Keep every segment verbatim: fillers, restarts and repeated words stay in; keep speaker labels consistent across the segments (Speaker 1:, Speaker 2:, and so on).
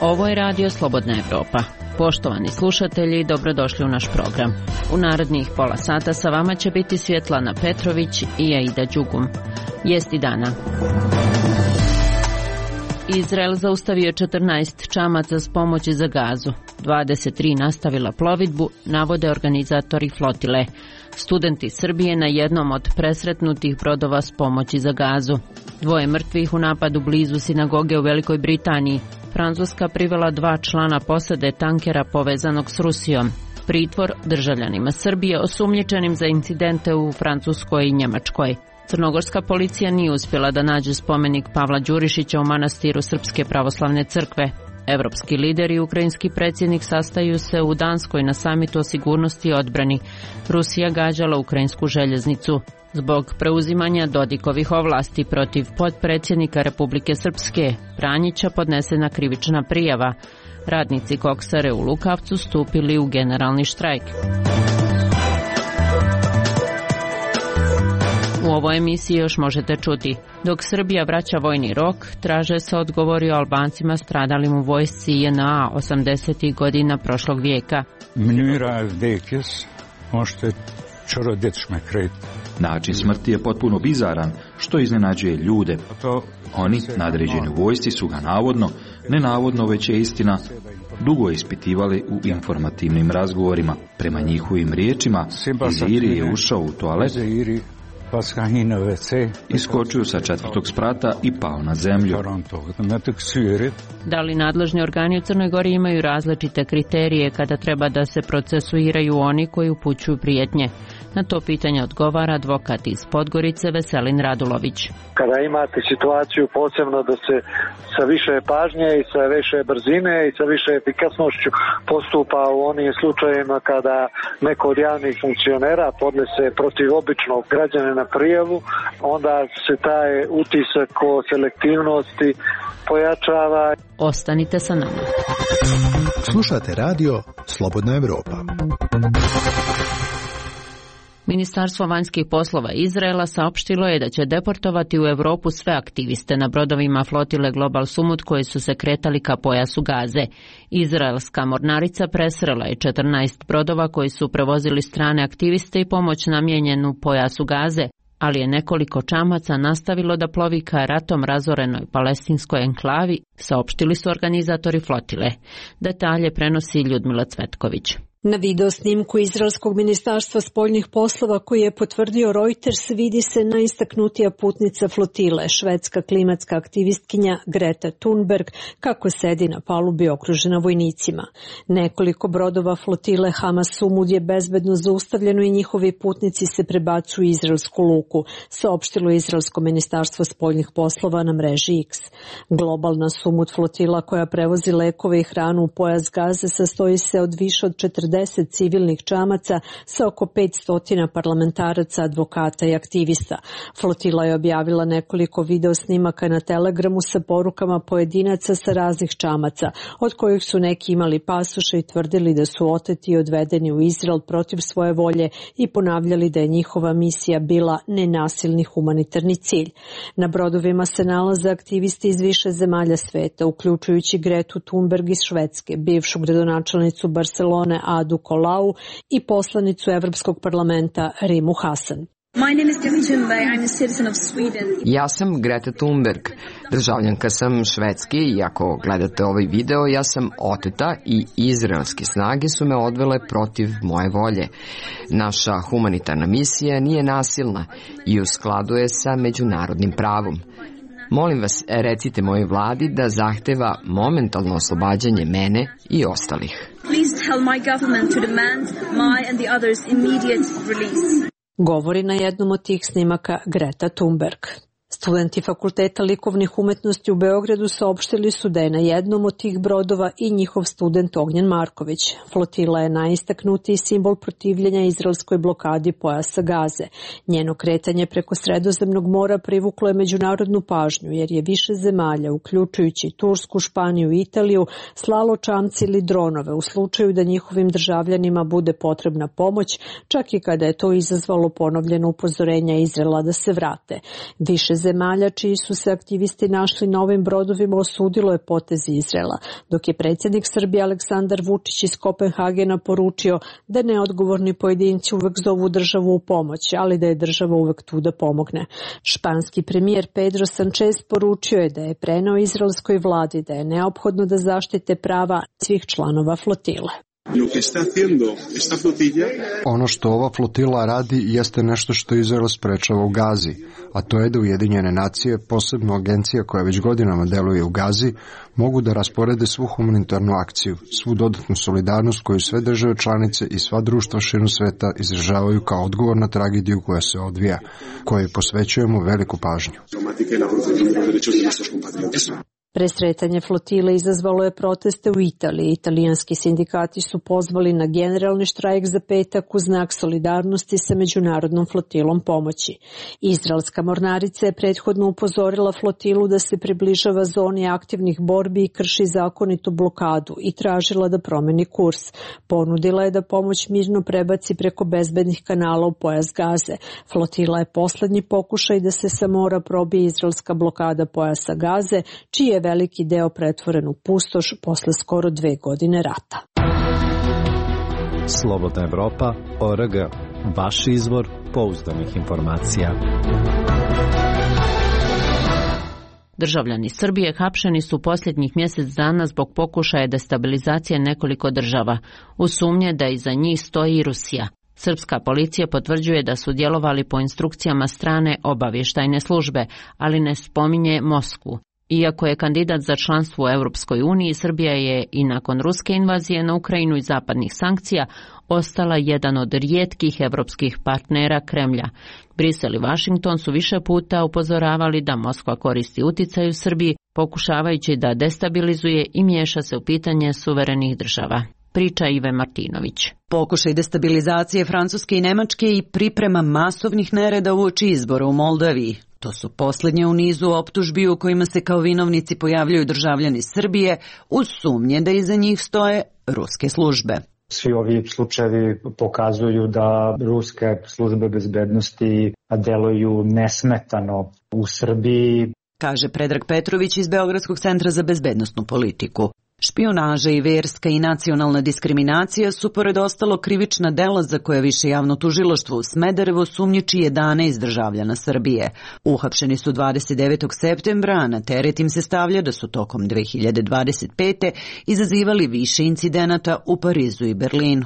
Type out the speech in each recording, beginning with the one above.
Speaker 1: Ovo je radio Slobodna Evropa. Poštovani slušatelji, dobrodošli u naš program. U narednih pola sata sa vama će biti Svjetlana Petrović i Aida Đugum. Vijesti dana. Izrael zaustavio četrnaest čamaca s pomoći za Gazu. dvadeset tri nastavila plovidbu, navode organizatori flotile. Studenti Srbije na jednom od presretnutih brodova s pomoći za Gazu. Dvoje mrtvih u napadu blizu sinagoge u Velikoj Britaniji. Francuska privela dva člana posade tankera povezanog s Rusijom. Pritvor državljanima Srbije osumnjičenim za incidente u Francuskoj i Njemačkoj. Crnogorska policija nije uspjela da nađe spomenik Pavla Đurišića u manastiru Srpske pravoslavne crkve. Evropski lideri i ukrajinski predsjednik sastaju se u Danskoj na samitu o sigurnosti i odbrani. Rusija gađala ukrajinsku željeznicu. Zbog preuzimanja Dodikovih ovlasti protiv potpredsjednika Republike Srpske Pranjića podnesena krivična prijava. Radnici koksare u Lukavcu stupili u generalni štrajk. U ovoj emisiji još možete čuti. Dok Srbija vraća vojni rok, traže se odgovori o Albancima stradalim u vojsci J N A osamdesetih godina prošlog vijeka.
Speaker 2: Način smrti je potpuno bizaran, što iznenađuje ljude. Oni, nadređeni u vojsci, su ga navodno, nenavodno već je istina, dugo ispitivali u informativnim razgovorima. Prema njihovim riječima, Iziri je ušao u toalet, iskočio sa četvrtog sprata i pao na zemlju.
Speaker 1: Da li nadležni organi u Crnoj Gori imaju različite kriterije kada treba da se procesuiraju oni koji upućuju prijetnje? Na to pitanje odgovara advokat iz Podgorice Veselin Radulović.
Speaker 3: Kada imate situaciju posebno da se sa više pažnje i sa više brzine i sa više efikasnošću postupa u onim slučajevima kada neko od javnih funkcionera podnese protiv običnog građanina prijavu, onda se taj utisak o selektivnosti pojačava.
Speaker 1: Ostanite sa nama.
Speaker 4: Slušate radio Slobodna Evropa.
Speaker 1: Ministarstvo vanjskih poslova Izraela saopštilo je da će deportovati u Europu sve aktiviste na brodovima flotile Global Sumut koji su se kretali ka pojasu Gaze. Izraelska mornarica presrela je četrnaest brodova koji su prevozili strane aktiviste i pomoć namijenjenu pojasu Gaze, ali je nekoliko čamaca nastavilo da plovi ka ratom razorenoj palestinskoj enklavi, saopštili su organizatori flotile. Detalje prenosi Ljudmila Cvetković.
Speaker 5: Na video snimku Izraelskog ministarstva spoljnih poslova koji je potvrdio Reuters vidi se najistaknutija putnica flotile, švedska klimatska aktivistkinja Greta Thunberg, kako sedi na palubi okružena vojnicima. Nekoliko brodova flotile Hamas Sumud je bezbedno zaustavljeno i njihovi putnici se prebacuju u izraelsku luku, saopštilo Izraelsko ministarstvo spoljnih poslova na mreži X. Globalna Sumud flotila koja prevozi lekove i hranu u pojas Gaze sastoji se od više od četrdeset civilnih čamaca sa oko petsto parlamentaraca, advokata i aktivista. Flotila je objavila nekoliko video snimaka na Telegramu sa porukama pojedinaca sa raznih čamaca, od kojih su neki imali pasoše i tvrdili da su oteti i odvedeni u Izrael protiv svoje volje i ponavljali da je njihova misija bila nenasilni humanitarni cilj. Na brodovima se nalaze aktivisti iz više zemalja sveta, uključujući Gretu Thunberg iz Švedske, bivšu gradonačelnicu Barcelone Adu Colau i poslanicu Evropskog parlamenta Rimu Hasan.
Speaker 6: Ja sam Greta Thunberg, državljanka sam Švedske i ako gledate ovaj video, ja sam oteta i izraelske snage su me odvele protiv moje volje. Naša humanitarna misija nije nasilna i u skladu je sa međunarodnim pravom. Molim vas, recite mojoj vladi da zahteva momentalno oslobađanje mene i ostalih.
Speaker 5: Govori na jednom od tih snimaka Greta Thunberg. Studenti Fakulteta likovnih umetnosti u Beogradu saopštili su da je na jednom od tih brodova i njihov student Ognjen Marković. Flotila je najistaknutiji simbol protivljenja izraelskoj blokadi pojasa Gaze. Njeno kretanje preko Sredozemnog mora privuklo je međunarodnu pažnju jer je više zemalja, uključujući Tursku, Španiju i Italiju, slalo čamci ili dronove u slučaju da njihovim državljanima bude potrebna pomoć, čak i kada je to izazvalo ponovljeno upozorenja Izraela da se vrate. Više zemalja čiji su se aktivisti našli na ovim brodovima osudilo je potez Izraela, dok je predsjednik Srbije Aleksandar Vučić iz Kopenhagena poručio da neodgovorni pojedinci uvek zovu državu u pomoć, ali da je država uvek tu da pomogne. Španski premijer Pedro Sanchez poručio je da je preneo izraelskoj vladi da je neophodno da zaštite prava svih članova flotile.
Speaker 7: Ono što ova flotila radi jeste nešto što Izrael sprečava u Gazi, a to je da Ujedinjene nacije, posebno agencija koja već godinama deluje u Gazi, mogu da rasporede svu humanitarnu akciju, svu dodatnu solidarnost koju sve države članice i sva društva širom sveta izražavaju kao odgovor na tragediju koja se odvija, kojoj posvećujemo veliku pažnju.
Speaker 5: Presretanje flotile izazvalo je proteste u Italiji. Italijanski sindikati su pozvali na generalni štrajk za petak u znak solidarnosti sa međunarodnom flotilom pomoći. Izraelska mornarica je prethodno upozorila flotilu da se približava zoni aktivnih borbi i krši zakonitu blokadu i tražila da promeni kurs. Ponudila je da pomoć mirno prebaci preko bezbednih kanala u pojas Gaze. Flotila je poslednji pokušaj da se sa mora probije izraelska blokada pojasa Gaze, čiji je veliki deo pretvoren u pustoš posle skoro dve godine rata.
Speaker 8: Slobodna Evropa, O R G, vaš izvor pouzdanih informacija.
Speaker 1: Državljani Srbije hapšeni su posljednjih mjesec dana zbog pokušaja destabilizacije nekoliko država. U sumnje da iza njih stoji i Rusija. Srpska policija potvrđuje da su djelovali po instrukcijama strane obavještajne službe, ali ne spominje Moskvu. Iako je kandidat za članstvo u Europskoj uniji, Srbija je i nakon ruske invazije na Ukrajinu i zapadnih sankcija ostala jedan od rijetkih evropskih partnera Kremlja. Brisel i Washington su više puta upozoravali da Moskva koristi uticaj u Srbiji, pokušavajući da destabilizuje i miješa se u pitanje suverenih država. Priča Ive Martinović.
Speaker 9: Pokušaj destabilizacije Francuske i Nemačke i priprema masovnih nereda uoči izbora u Moldaviji. To su posljednje u nizu optužbi u kojima se kao vinovnici pojavljaju državljani Srbije uz sumnje da iza njih stoje ruske službe.
Speaker 10: Svi ovi slučajevi pokazuju da ruske službe bezbednosti deluju nesmetano u Srbiji,
Speaker 9: kaže Predrag Petrović iz Beogradskog centra za bezbednosnu politiku. Špijunaža i verska i nacionalna diskriminacija su pored ostalo krivična dela za koje više javno tužilaštvo u Smederevo sumnjiči jedanaest državljana Srbije. Uhapšeni su dvadeset devetog septembra, a na teret im se stavlja da su tokom dve hiljade dvadeset pete. izazivali više incidenata u Parizu i Berlinu.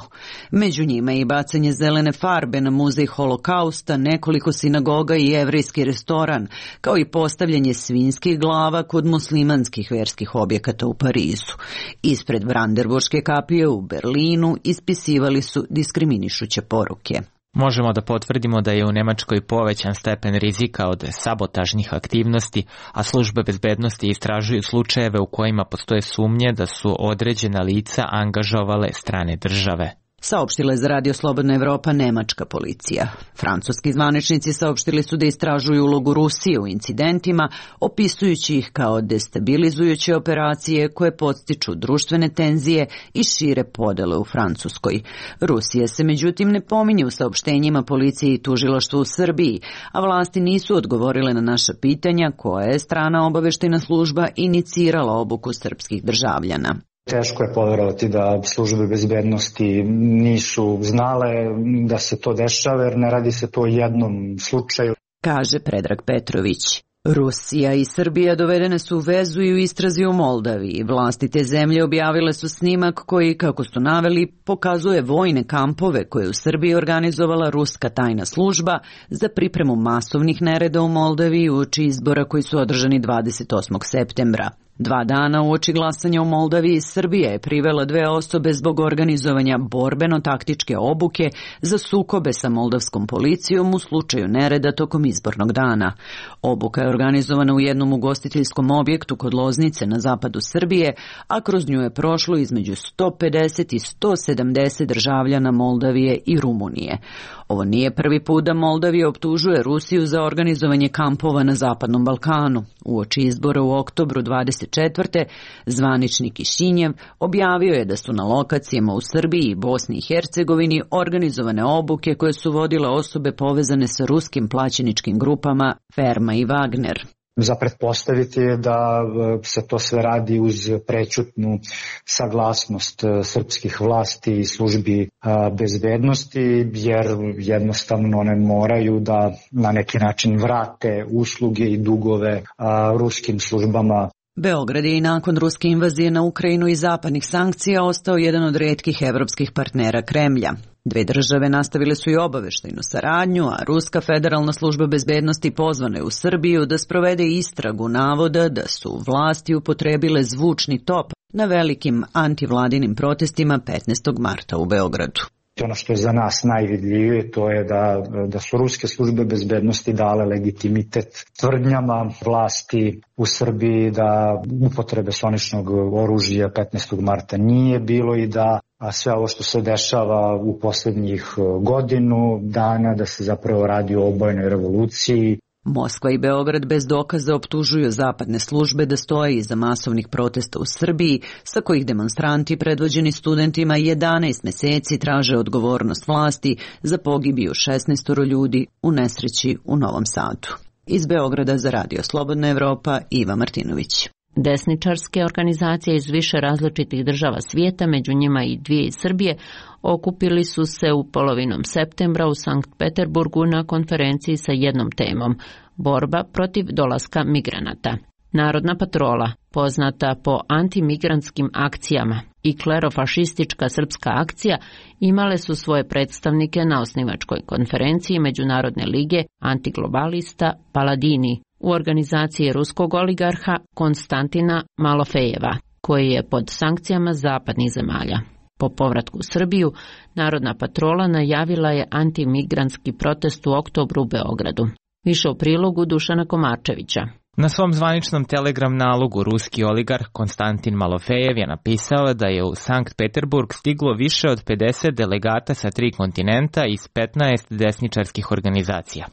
Speaker 9: Među njima je i bacanje zelene farbe na muzej Holokausta, nekoliko sinagoga i jevrejski restoran, kao i postavljanje svinjskih glava kod muslimanskih verskih objekata u Parizu. Ispred Brandenburške kapije u Berlinu ispisivali su diskriminišuće poruke.
Speaker 11: Možemo da potvrdimo da je u Nemačkoj povećan stepen rizika od sabotažnih aktivnosti, a službe bezbednosti istražuju slučajeve u kojima postoje sumnje da su određena lica angažovale strane države.
Speaker 9: Saopštila je za Radio Slobodna Evropa nemačka policija. Francuski zvaničnici saopštili su da istražuju ulogu Rusije u incidentima, opisujući ih kao destabilizujuće operacije koje podstiču društvene tenzije i šire podele u Francuskoj. Rusija se međutim ne pominje u saopštenjima policije i tužilaštva u Srbiji, a vlasti nisu odgovorile na naša pitanja koja je strana obaveštajna služba inicirala obuku srpskih državljana.
Speaker 10: Teško je poverovati da službe bezbednosti nisu znale da se to dešava, jer ne radi se to o jednom slučaju,
Speaker 9: kaže Predrag Petrović. Rusija i Srbija dovedene su u vezu i u istrazi u Moldaviji. Vlasti te zemlje objavile su snimak koji, kako su naveli, pokazuje vojne kampove koje u Srbiji organizovala ruska tajna služba za pripremu masovnih nereda u Moldaviji uoči izbora koji su održani dvadeset osmog septembra. Dva dana uoči glasanja u Moldaviji Srbija je privela dve osobe zbog organizovanja borbeno-taktičke obuke za sukobe sa moldavskom policijom u slučaju nereda tokom izbornog dana. Obuka je organizovana u jednom ugostiteljskom objektu kod Loznice na zapadu Srbije, a kroz nju je prošlo između sto pedeset i sto sedamdeset državljana Moldavije i Rumunije. Ovo nije prvi put da Moldavija optužuje Rusiju za organizovanje kampova na Zapadnom Balkanu. Uoči izbora u oktobru dvadeset dvadeset četvrte. zvaničnik Kišinjev objavio je da su na lokacijama u Srbiji i Bosni i Hercegovini organizovane obuke koje su vodile osobe povezane sa ruskim plaćeničkim grupama Ferma i Wagner.
Speaker 10: Za pretpostaviti je da se to sve radi uz prećutnu saglasnost srpskih vlasti i službi bezbednosti, jer jednostavno one moraju da na neki način vrate usluge i dugove ruskim službama.
Speaker 9: Beograd je i nakon ruske invazije na Ukrajinu i zapadnih sankcija ostao jedan od retkih evropskih partnera Kremlja. Dve države nastavile su i obaveštajnu saradnju, a Ruska federalna služba bezbednosti pozvana je u Srbiju da sprovede istragu navoda da su vlasti upotrebile zvučni top na velikim antivladinim protestima petnaestog marta u Beogradu.
Speaker 10: Ono što je za nas najvidljivije to je da, da su ruske službe bezbednosti dale legitimitet tvrdnjama vlasti u Srbiji da upotrebe soničnog oružja petnaestog marta nije bilo i da a sve ovo što se dešava u poslednjih godinu dana da se zapravo radi o obojnoj revoluciji.
Speaker 9: Moskva i Beograd bez dokaza optužuju zapadne službe da stoje iza masovnih protesta u Srbiji, sa kojih demonstranti predvođeni studentima jedanaest meseci traže odgovornost vlasti za pogibiju šesnaest ljudi u nesreći u Novom Sadu. Iz Beograda za Radio Slobodna Evropa, Iva Martinović.
Speaker 1: Desničarske organizacije iz više različitih država svijeta, među njima i dvije iz Srbije, okupili su se u polovinom septembra u Sankt Peterburgu na konferenciji sa jednom temom – borba protiv dolaska migranata. Narodna patrola, poznata po antimigrantskim akcijama, i klerofašistička srpska akcija imale su svoje predstavnike na osnivačkoj konferenciji Međunarodne lige antiglobalista Paladini u organizaciji ruskog oligarha Konstantina Malofejeva, koji je pod sankcijama zapadnih zemalja. Po povratku u Srbiju, Narodna patrola najavila je antimigrantski protest u oktobru u Beogradu. Više u prilogu Dušana Komarčevića.
Speaker 11: Na svom zvaničnom telegram nalogu ruski oligarh Konstantin Malofejev je napisao da je u Sankt Peterburg stiglo više od pedeset delegata sa tri kontinenta iz petnaest desničarskih organizacija.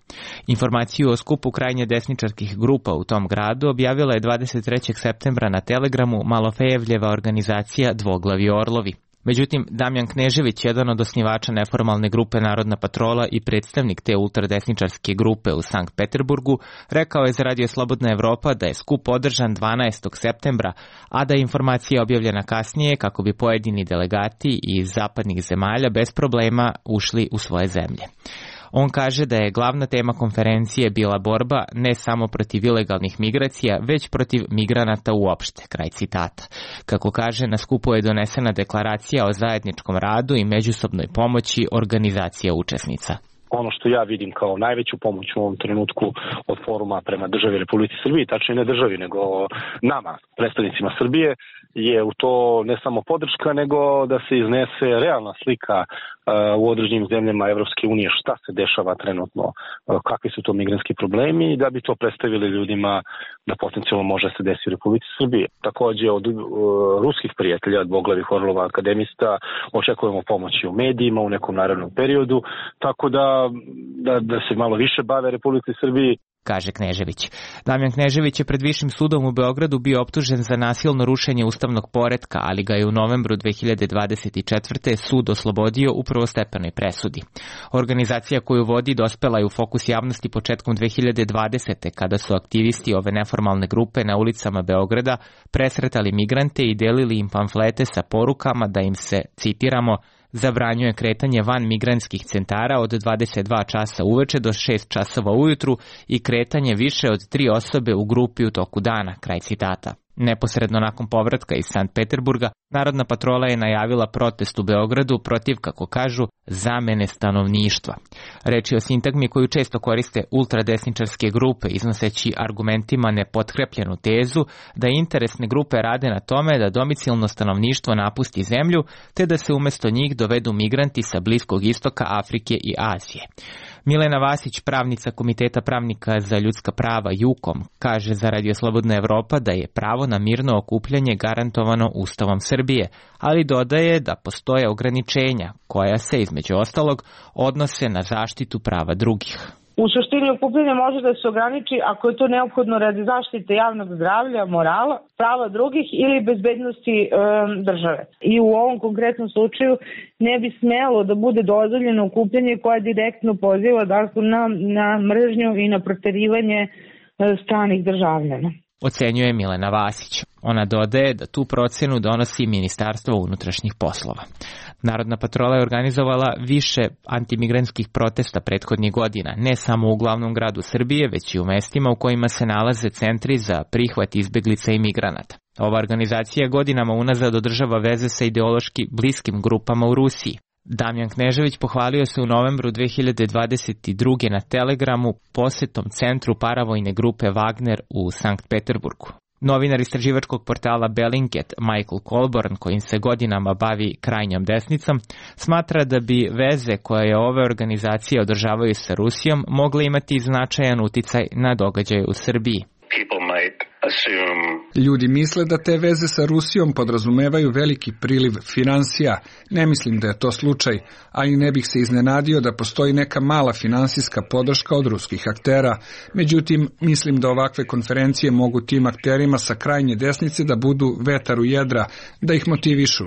Speaker 11: Informaciju o skupu krajnje desničarskih grupa u tom gradu objavila je dvadeset trećeg septembra na telegramu Malofejevljeva organizacija Dvoglavi orlovi. Međutim, Damjan Knežević, jedan od osnivača neformalne grupe Narodna patrola i predstavnik te ultradesničarske grupe u Sankt Peterburgu, rekao je za Radio Slobodna Evropa da je skup održan dvanaestog septembra, a da je informacija objavljena kasnije kako bi pojedini delegati iz zapadnih zemalja bez problema ušli u svoje zemlje. On kaže da je glavna tema konferencije bila borba ne samo protiv ilegalnih migracija, već protiv migranata uopšte, kraj citata. Kako kaže, na skupu je donesena deklaracija o zajedničkom radu i međusobnoj pomoći organizacija učesnica.
Speaker 12: Ono što ja vidim kao najveću pomoć u ovom trenutku od foruma prema državi Republici Srbiji, tačnije ne državi, nego nama, predstavnicima Srbije, je u to ne samo podrška, nego da se iznese realna slika u određenim zemljama Evropske unije šta se dešava trenutno, kakvi su to migrantski problemi i da bi to predstavili ljudima da potencijalno može se desiti u Republici Srbije. Takođe od uh, ruskih prijatelja, dvoglavih orlova akademista, očekujemo pomoći u medijima u nekom narednom periodu, tako da, da, da se malo više bave Republici Srbiji,
Speaker 11: kaže Knežević. Damjan Knežević je pred Višim sudom u Beogradu bio optužen za nasilno rušenje ustavnog poretka, ali ga je u novembru dve hiljade dvadeset četvrte. sud oslobodio u prvostepenoj presudi. Organizacija koju vodi dospela je u fokus javnosti početkom dve hiljade dvadesete. kada su aktivisti ove neformalne grupe na ulicama Beograda presretali migrante i delili im pamflete sa porukama da im se, citiramo, zabranjuje kretanje van migrantskih centara od dvadeset dva časa uveče do šest časova ujutru i kretanje više od tri osobe u grupi u toku dana, kraj citata. Neposredno nakon povratka iz Sankt Peterburga, Narodna patrola je najavila protest u Beogradu protiv, kako kažu, zamene stanovništva. Reč je o sintagmi koju često koriste ultradesničarske grupe, iznoseći argumentima nepotkrepljenu tezu da interesne grupe rade na tome da domicilno stanovništvo napusti zemlju, te da se umesto njih dovedu migranti sa Bliskog istoka, Afrike i Azije. Milena Vasić, pravnica Komiteta pravnika za ljudska prava JUKOM, kaže za Radio Slobodna Evropa da je pravo na mirno okupljanje garantovano Ustavom Srbije, ali dodaje da postoje ograničenja koja se, između ostalog, odnose na zaštitu prava drugih.
Speaker 13: U suštini okupljanje može da se ograniči ako je to neophodno radi zaštite javnog zdravlja, morala, prava drugih ili bezbednosti e, države. I u ovom konkretnom slučaju ne bi smelo da bude dozvoljeno okupljanje koje direktno poziva dakle, na, na mržnju i na proterivanje e, stranih državljana.
Speaker 11: Ocenjuje Milena Vasić. Ona dodaje da tu procenu donosi Ministarstvo unutrašnjih poslova. Narodna patrola je organizovala više antimigrantskih protesta prethodnih godina, ne samo u glavnom gradu Srbije, već i u mestima u kojima se nalaze centri za prihvat izbeglica i migranata. Ova organizacija godinama unazad održava veze sa ideološki bliskim grupama u Rusiji. Damjan Knežević pohvalio se u novembru dve hiljade dvadeset druge na Telegramu posetom centru paravojne grupe Wagner u Sankt Peterburgu. Novinar istraživačkog portala Bellingcat Michael Colborn, kojim se godinama bavi krajnjom desnicom, smatra da bi veze koje ove organizacije održavaju sa Rusijom mogle imati značajan uticaj na događaje u Srbiji.
Speaker 14: Ljudi misle da te veze sa Rusijom podrazumevaju veliki priliv finansija. Ne mislim da je to slučaj, a i ne bih se iznenadio da postoji neka mala finansijska podrška od ruskih aktera. Međutim, mislim da ovakve konferencije mogu tim akterima sa krajnje desnice da budu vetar u jedra, da ih motivišu.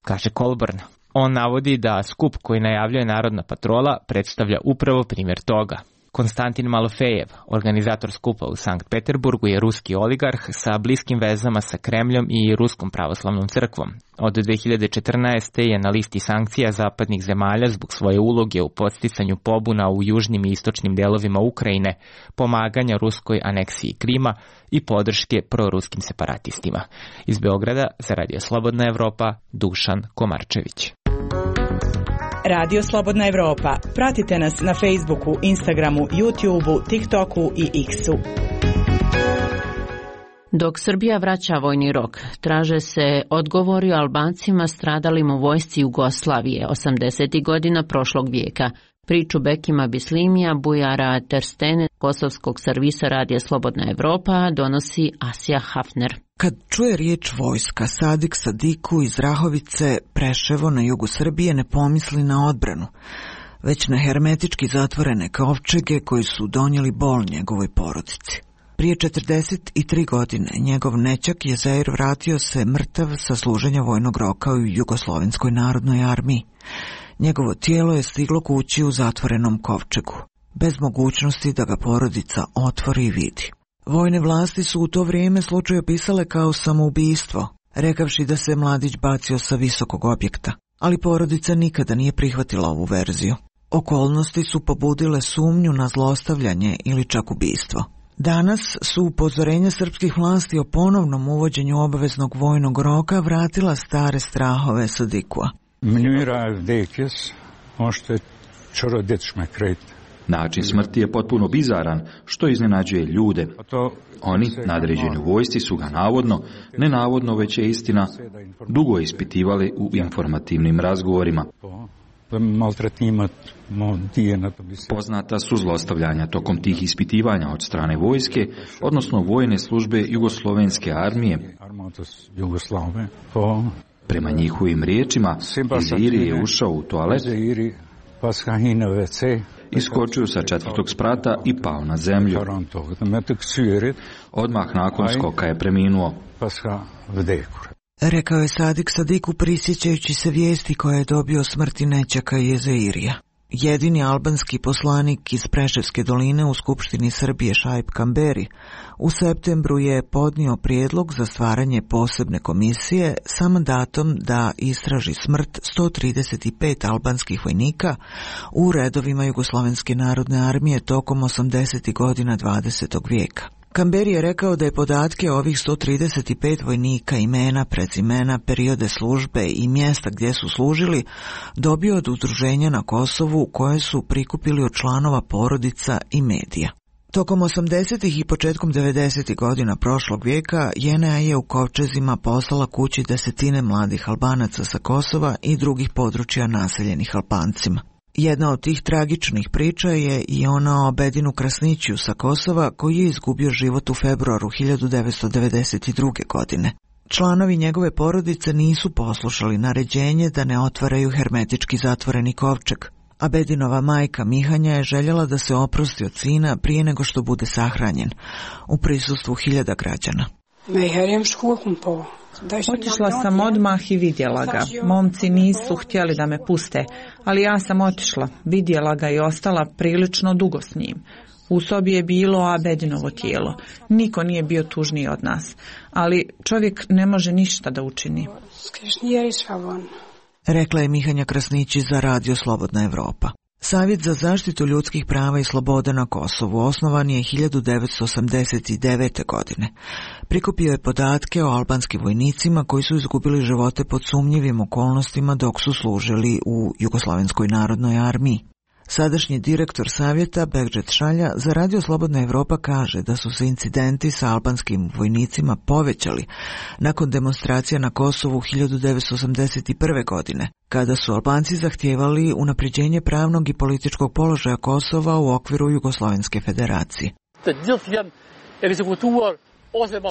Speaker 11: Kaže Colborn. On navodi da skup koji najavljuje Narodna patrola predstavlja upravo primjer toga. Konstantin Malofejev, organizator skupa u Sankt Peterburgu, je ruski oligarh sa bliskim vezama sa Kremljom i Ruskom pravoslavnom crkvom. Od dve hiljade četrnaeste. je na listi sankcija zapadnih zemalja zbog svoje uloge u podsticanju pobuna u južnim i istočnim delovima Ukrajine, pomaganja ruskoj aneksiji Krima i podrške proruskim separatistima. Iz Beograda za Radio Slobodna Evropa, Dušan Komarčević.
Speaker 15: Radio Slobodna Evropa. Pratite nas na Facebooku, Instagramu, YouTubeu, TikToku i X-u.
Speaker 1: Dok Srbija vraća vojni rok, traže se odgovori o Albancima stradalim u vojsci Jugoslavije osamdesetih godina prošlog vijeka. Priču Bekima Bislimija, Bujara Terstene, kosovskog servisa Radija Slobodna Evropa, donosi Asija Hafner.
Speaker 16: Kad čuje riječ vojska, Sadik Sadiku iz Rahovice, Preševo na jugu Srbije, ne pomisli na odbranu, već na hermetički zatvorene kovčege koji su donijeli bol njegovoj porodici. Prije četrdeset tri godine njegov nećak Jezair vratio se mrtav sa služenja vojnog roka u Jugoslovenskoj narodnoj armiji. Njegovo tijelo je stiglo kući u zatvorenom kovčegu, bez mogućnosti da ga porodica otvori i vidi. Vojne vlasti su u to vrijeme slučaj opisale kao samoubistvo, rekavši da se mladić bacio sa visokog objekta, ali porodica nikada nije prihvatila ovu verziju. Okolnosti su pobudile sumnju na zlostavljanje ili čak ubistvo. Danas su upozorenja srpskih vlasti o ponovnom uvođenju obaveznog vojnog roka vratila stare strahove Sadikua.
Speaker 2: Način smrti je potpuno bizaran, što iznenađuje ljude. Oni, nadređeni u vojsci, su ga navodno, ne navodno već je istina, dugo ispitivali u informativnim razgovorima. Poznata su zlostavljanja tokom tih ispitivanja od strane vojske, odnosno vojne službe Jugoslovenske armije. Prema njihovim riječima, Iziri je ušao u toalet, iskočio sa četvrtog sprata i pao na zemlju. Odmah nakon skoka je preminuo.
Speaker 16: Rekao je Sadik Sadiku prisjećajući se vijesti koje je dobio o smrti nećaka Jezairija. Jedini albanski poslanik iz Preševske doline u Skupštini Srbije Šaip Kamberi u septembru je podnio prijedlog za stvaranje posebne komisije sa mandatom da istraži smrt sto trideset pet albanskih vojnika u redovima Jugoslovenske narodne armije tokom osamdesetih godina dvadesetog vijeka. Kamberi je rekao da je podatke ovih sto trideset pet vojnika, imena, prezimena, periode službe i mjesta gdje su služili dobio od udruženja na Kosovu koje su prikupili od članova porodica i medija. Tokom osamdesetih i početkom devedesetih godina prošlog vijeka J N A je u kovčezima poslala kući desetine mladih Albanaca sa Kosova i drugih područja naseljenih Albancima. Jedna od tih tragičnih priča je i ona o Bedinu Krasniću sa Kosova koji je izgubio život u februaru hiljadu devetsto devedeset druge. godine. Članovi njegove porodice nisu poslušali naređenje da ne otvaraju hermetički zatvoreni kovčeg, Abedinova majka Mihanja je željela da se oprosti od sina prije nego što bude sahranjen, u prisustvu hiljada građana.
Speaker 17: Otišla sam odmah i vidjela ga. Momci nisu htjeli da me puste, ali ja sam otišla, vidjela ga i ostala prilično dugo s njim. U sobi je bilo Abedinovo tijelo. Niko nije bio tužniji od nas, ali čovjek ne može ništa da učini.
Speaker 16: Rekla je Mihanja Krasnići za Radio Slobodna Evropa. Savjet za zaštitu ljudskih prava i sloboda na Kosovu osnovan je hiljadu devetsto osamdeset devete. godine. Prikupio je podatke o albanskim vojnicima koji su izgubili živote pod sumnjivim okolnostima dok su služili u Jugoslovenskoj narodnoj armiji. Sadašnji direktor savjeta Begdžet Šalja za Radio Slobodna Evropa kaže da su se incidenti sa albanskim vojnicima povećali nakon demonstracija na Kosovu hiljadu devetsto osamdeset prve. godine, kada su Albanci zahtijevali unapređenje pravnog i političkog položaja Kosova u okviru Jugoslovenske federacije.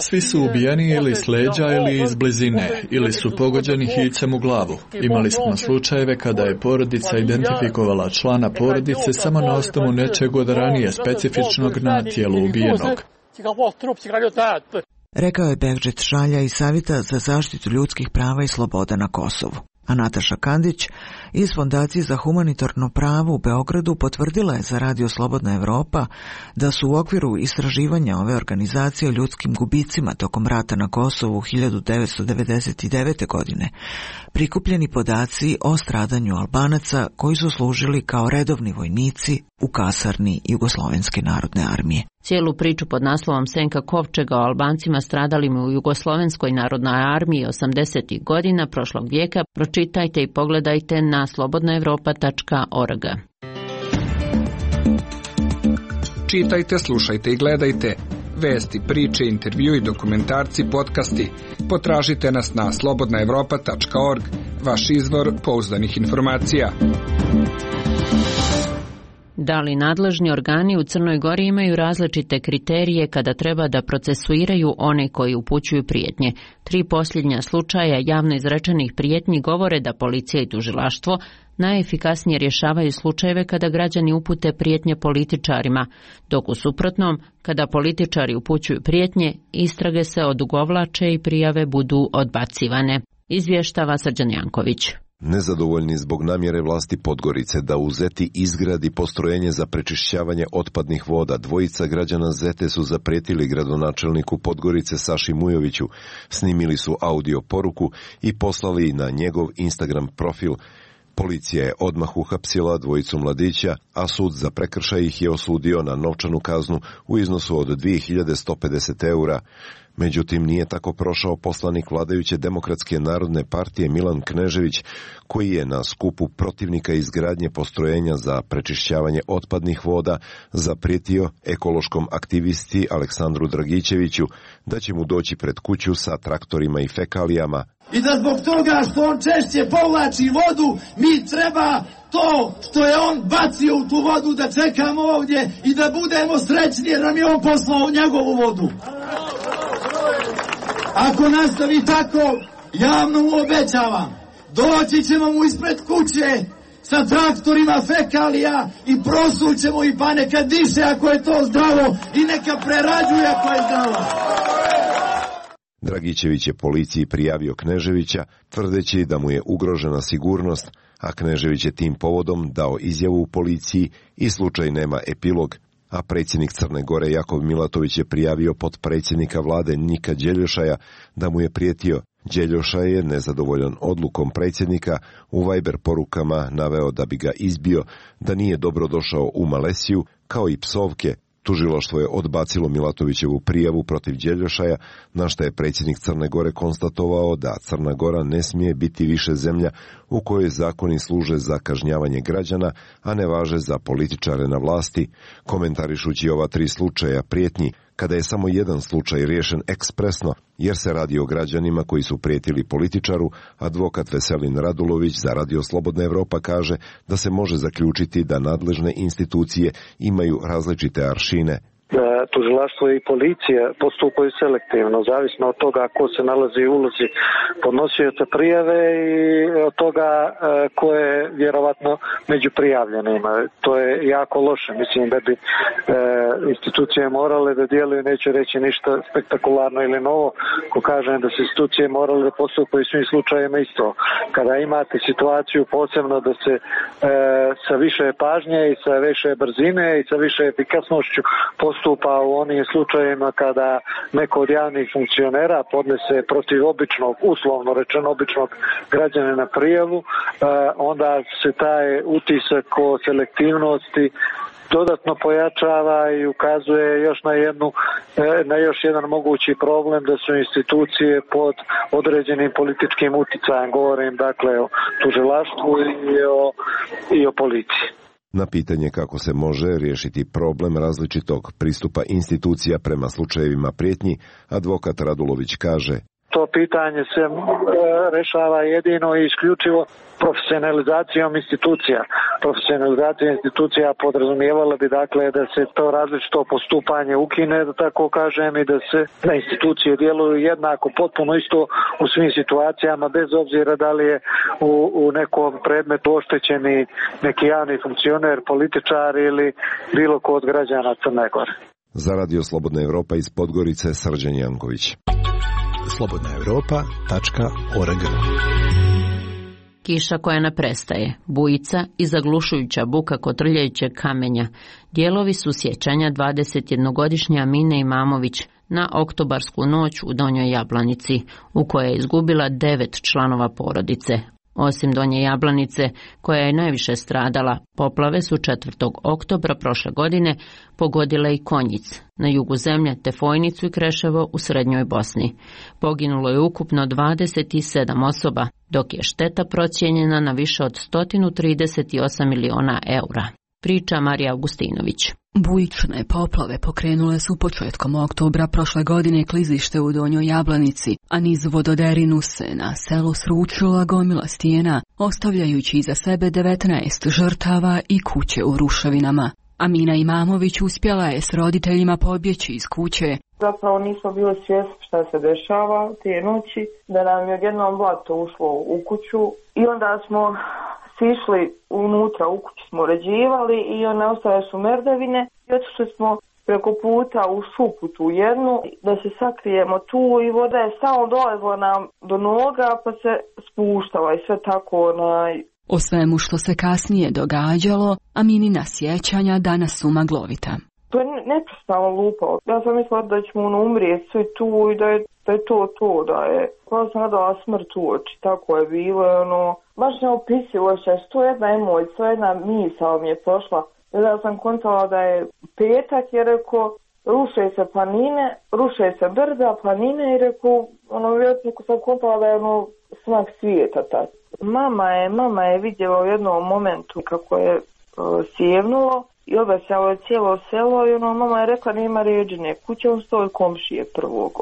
Speaker 18: Svi su ubijeni ili s leđa ili iz blizine, ili su pogođeni hicem u glavu. Imali smo slučajeve kada je porodica identifikovala člana porodice samo na osnovu nečeg od ranije specifičnog na tijelu ubijenog.
Speaker 16: Rekao je Begdžet Šalja iz Savjeta za zaštitu ljudskih prava i sloboda na Kosovu. A Nataša Kandić iz Fondacije za humanitarno pravo u Beogradu potvrdila je za Radio Slobodna Evropa da su u okviru istraživanja ove organizacije o ljudskim gubicima tokom rata na Kosovu hiljadu devetsto devedeset devete. godine prikupljeni podaci o stradanju Albanaca koji su služili kao redovni vojnici u kasarni Jugoslovenske narodne armije.
Speaker 1: Cijelu priču pod naslovom Senka kovčega o Albancima stradalim u Jugoslovenskoj narodnoj armiji osamdesetih godina prošlog vijeka pročitajte i pogledajte na slobodna evropa tačka org.
Speaker 14: Čitajte, slušajte i gledajte vesti, priče, intervju i dokumentarci, podcasti. Potražite nas na slobodna evropa tačka org, vaš izvor pouzdanih informacija.
Speaker 1: Da li nadležni organi u Crnoj Gori imaju različite kriterije kada treba da procesuiraju one koji upućuju prijetnje? Tri posljednja slučaja javno izrečenih prijetnji govore da policija i tužilaštvo najefikasnije rješavaju slučajeve kada građani upute prijetnje političarima, dok u suprotnom, kada političari upućuju prijetnje, istrage se odugovlače i prijave budu odbacivane. Izvještava Srđan Janković.
Speaker 19: Nezadovoljni zbog namjere vlasti Podgorice da u Zeti izgradi postrojenje za prečišćavanje otpadnih voda, dvojica građana Zete su zapretili gradonačelniku Podgorice Saši Mujoviću, snimili su audio poruku i poslali na njegov Instagram profil. Policija je odmah uhapsila dvojicu mladića, a sud za prekršaj ih je osudio na novčanu kaznu u iznosu od dvije hiljade sto pedeset eura. Međutim, nije tako prošao poslanik vladajuće Demokratske narodne partije Milan Knežević, koji je na skupu protivnika izgradnje postrojenja za prečišćavanje otpadnih voda zaprijetio ekološkom aktivisti Aleksandru Dragićeviću da će mu doći pred kuću sa traktorima i fekalijama.
Speaker 20: I da zbog toga što on češće povlači vodu, mi treba to što je on bacio u tu vodu da čekamo ovdje i da budemo srećni jer nam je on poslao njegovu vodu. Ako nastavi tako, javno mu obećavam, doći ćemo mu ispred kuće sa traktorima fekalija i prosućemo i pa neka diše ako je to zdravo i neka prerađuje ako je zdravo.
Speaker 19: Dragićević je policiji prijavio Kneževića, tvrdeći da mu je ugrožena sigurnost, a Knežević je tim povodom dao izjavu u policiji i slučaj nema epilog. A predsjednik Crne Gore Jakov Milatović je prijavio potpredsjednika vlade Nika Đeljošaja da mu je prijetio. Đeljošaj je nezadovoljan odlukom predsjednika u Viber porukama naveo da bi ga izbio, da nije dobro došao u Malesiju, kao i psovke. Tužilaštvo je odbacilo Milatovićevu prijavu protiv Đeljošaja, na što je predsjednik Crne Gore konstatovao da Crna Gora ne smije biti više zemlja u kojoj zakoni služe za kažnjavanje građana, a ne važe za političare na vlasti. Komentarišući ova tri slučaja prijetnji, kada je samo jedan slučaj riješen ekspresno, jer se radi o građanima koji su prijetili političaru, advokat Veselin Radulović za Radio Slobodna Evropa kaže da se može zaključiti da nadležne institucije imaju različite aršine.
Speaker 3: tužilaštvo i policija postupaju selektivno, zavisno od toga ko se nalazi u ulozi podnosioca prijave i od toga ko je vjerovatno među prijavljenima. To je jako loše. Mislim da bi institucije morale da djeluju, neću reći ništa spektakularno ili novo, ko kažem da se institucije morale da postupaju u svim slučajevima isto. Kada imate situaciju posebno da se sa više pažnje i sa više brzine i sa više efikasnošću postupa u onim slučajevima kada neko od javnih funkcionera podnese protiv običnog, uslovno rečeno običnog građanina prijavu, onda se taj utisak o selektivnosti dodatno pojačava i ukazuje još na jednu, na još jedan mogući problem da su institucije pod određenim političkim uticajem. Govorim dakle o tužilaštvu i o, i o policiji.
Speaker 19: Na pitanje kako se može riješiti problem različitog pristupa institucija prema slučajevima prijetnji, advokat Radulović kaže:
Speaker 3: To pitanje se rešava jedino i isključivo profesionalizacijom institucija. Profesionalizacija institucija podrazumijevala bi dakle da se to različito postupanje ukine, da tako kažem, i da se da institucije djeluju jednako, potpuno isto u svim situacijama, bez obzira da li je u, u nekom predmetu oštećeni neki javni funkcioner, političar ili bilo ko od građana Crne Gore.
Speaker 19: Za Radio Slobodna Evropa iz Podgorice, Srđan Janković.
Speaker 4: slobodna europa tačka org.
Speaker 1: Kiša koja ne prestaje, bujica i zaglušujuća buka kotrljajućeg kamenja, dijelovi su sjećanja dvadesetjednogodišnje Amine Imamović na oktobarsku noć u Donjoj Jablanici, u kojoj je izgubila devet članova porodice. Osim Donje Jablanice, koja je najviše stradala, poplave su četvrtog oktobra prošle godine pogodile i Konjic, na jugu zemlje, te Fojnicu i Kreševo u srednjoj Bosni. Poginulo je ukupno dvadeset sedam osoba, dok je šteta procijenjena na više od sto trideset osam miliona eura. Priča Marija Augustinović.
Speaker 21: Bujične poplave pokrenule su početkom oktobra prošle godine klizište u Donjoj Jablanici, a niz vododerinu se na selu sručila gomila stijena, ostavljajući iza sebe devetnaest žrtava i kuće u ruševinama. Amina Imamović uspjela je s roditeljima pobjeći iz kuće.
Speaker 13: Zapravo nismo bili svjesni šta se dešava te noći, da nam je odjednom blato ušlo u kuću i onda smo sišli unutra, u kući smo uređivali i one ostale su merdevine i otišli smo preko puta u šupu tu jednu da se sakrijemo tu i voda je samo dolazila nam do noga pa se spuštala i sve tako onaj.
Speaker 21: O svemu što se kasnije događalo, Aminina sjećanja danas su maglovita.
Speaker 13: To je neprestano lupao. Ja sam mislila da ćemo ono umrijeti svi tu i da je, da je to to, da je. Koja sam nadala smrt u oči, tako je bilo, ono, baš neopisivo še, što jedna emocija, jedna misao mi je prošla. Ja sam kontala da je petak i rekao, ruše se planine, ruše se brda, planine i rekao, ono, vjerojatno sam kontala da je ono smak svijeta tad. Mama je, mama je vidjela u jednom momentu kako je uh, sjevnulo i obesjalo je cijelo selo i ono, mama je rekla nema ređine, kuća on stoji komšije prvog.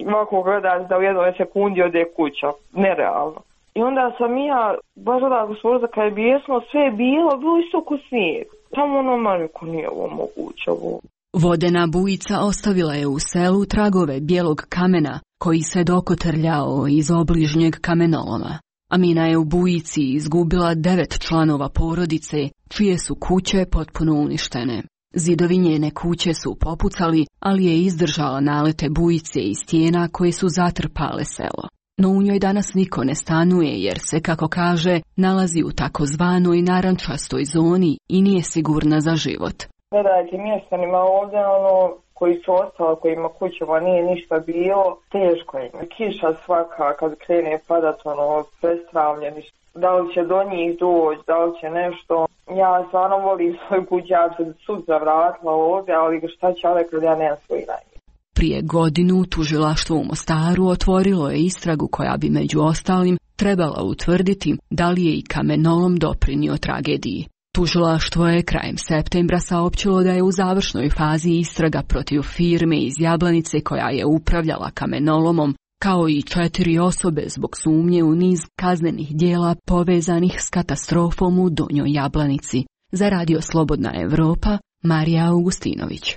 Speaker 13: Ovako gledaš da u jednoj sekundi ode kuća, nerealno. I onda sam ja, baš odako svoza kad je bijesno, sve je bilo, bilo isto ko snijeg. Tamo ono, manjko nije ovo moguće. Ovo.
Speaker 21: Vodena bujica ostavila je u selu tragove bijelog kamena koji se dokotrljao iz obližnjeg kamenoloma. Amina je u bujici izgubila devet članova porodice, čije su kuće potpuno uništene. Zidovi njene kuće su popucali, ali je izdržala nalete bujice i stijena koje su zatrpale selo. No u njoj danas niko ne stanuje jer se, kako kaže, nalazi u takozvanoj narančastoj zoni i nije sigurna za život.
Speaker 13: Gledajte, mjestanima ovdje, ono, koji su ostali, kojima kućama nije ništa bilo, teško im. Kiša svaka, kad krene padat, ono, prestravljeni. Da li će do njih doći, da li će nešto. Ja stvarno volim svoj kuć, ja se sutra vratila ovdje, ali šta će ovdje kad ja nemam svoj najbolji.
Speaker 21: Prije godinu tužilaštvo u Mostaru otvorilo je istragu koja bi među ostalim trebala utvrditi da li je i kamenolom doprinio tragediji. Tužilaštvo je krajem septembra saopćilo da je u završnoj fazi istraga protiv firme iz Jablanice koja je upravljala kamenolomom, kao i četiri osobe zbog sumnje u niz kaznenih dijela povezanih s katastrofom u Donjoj Jablanici. Za Radio Slobodna Evropa, Marija Augustinović.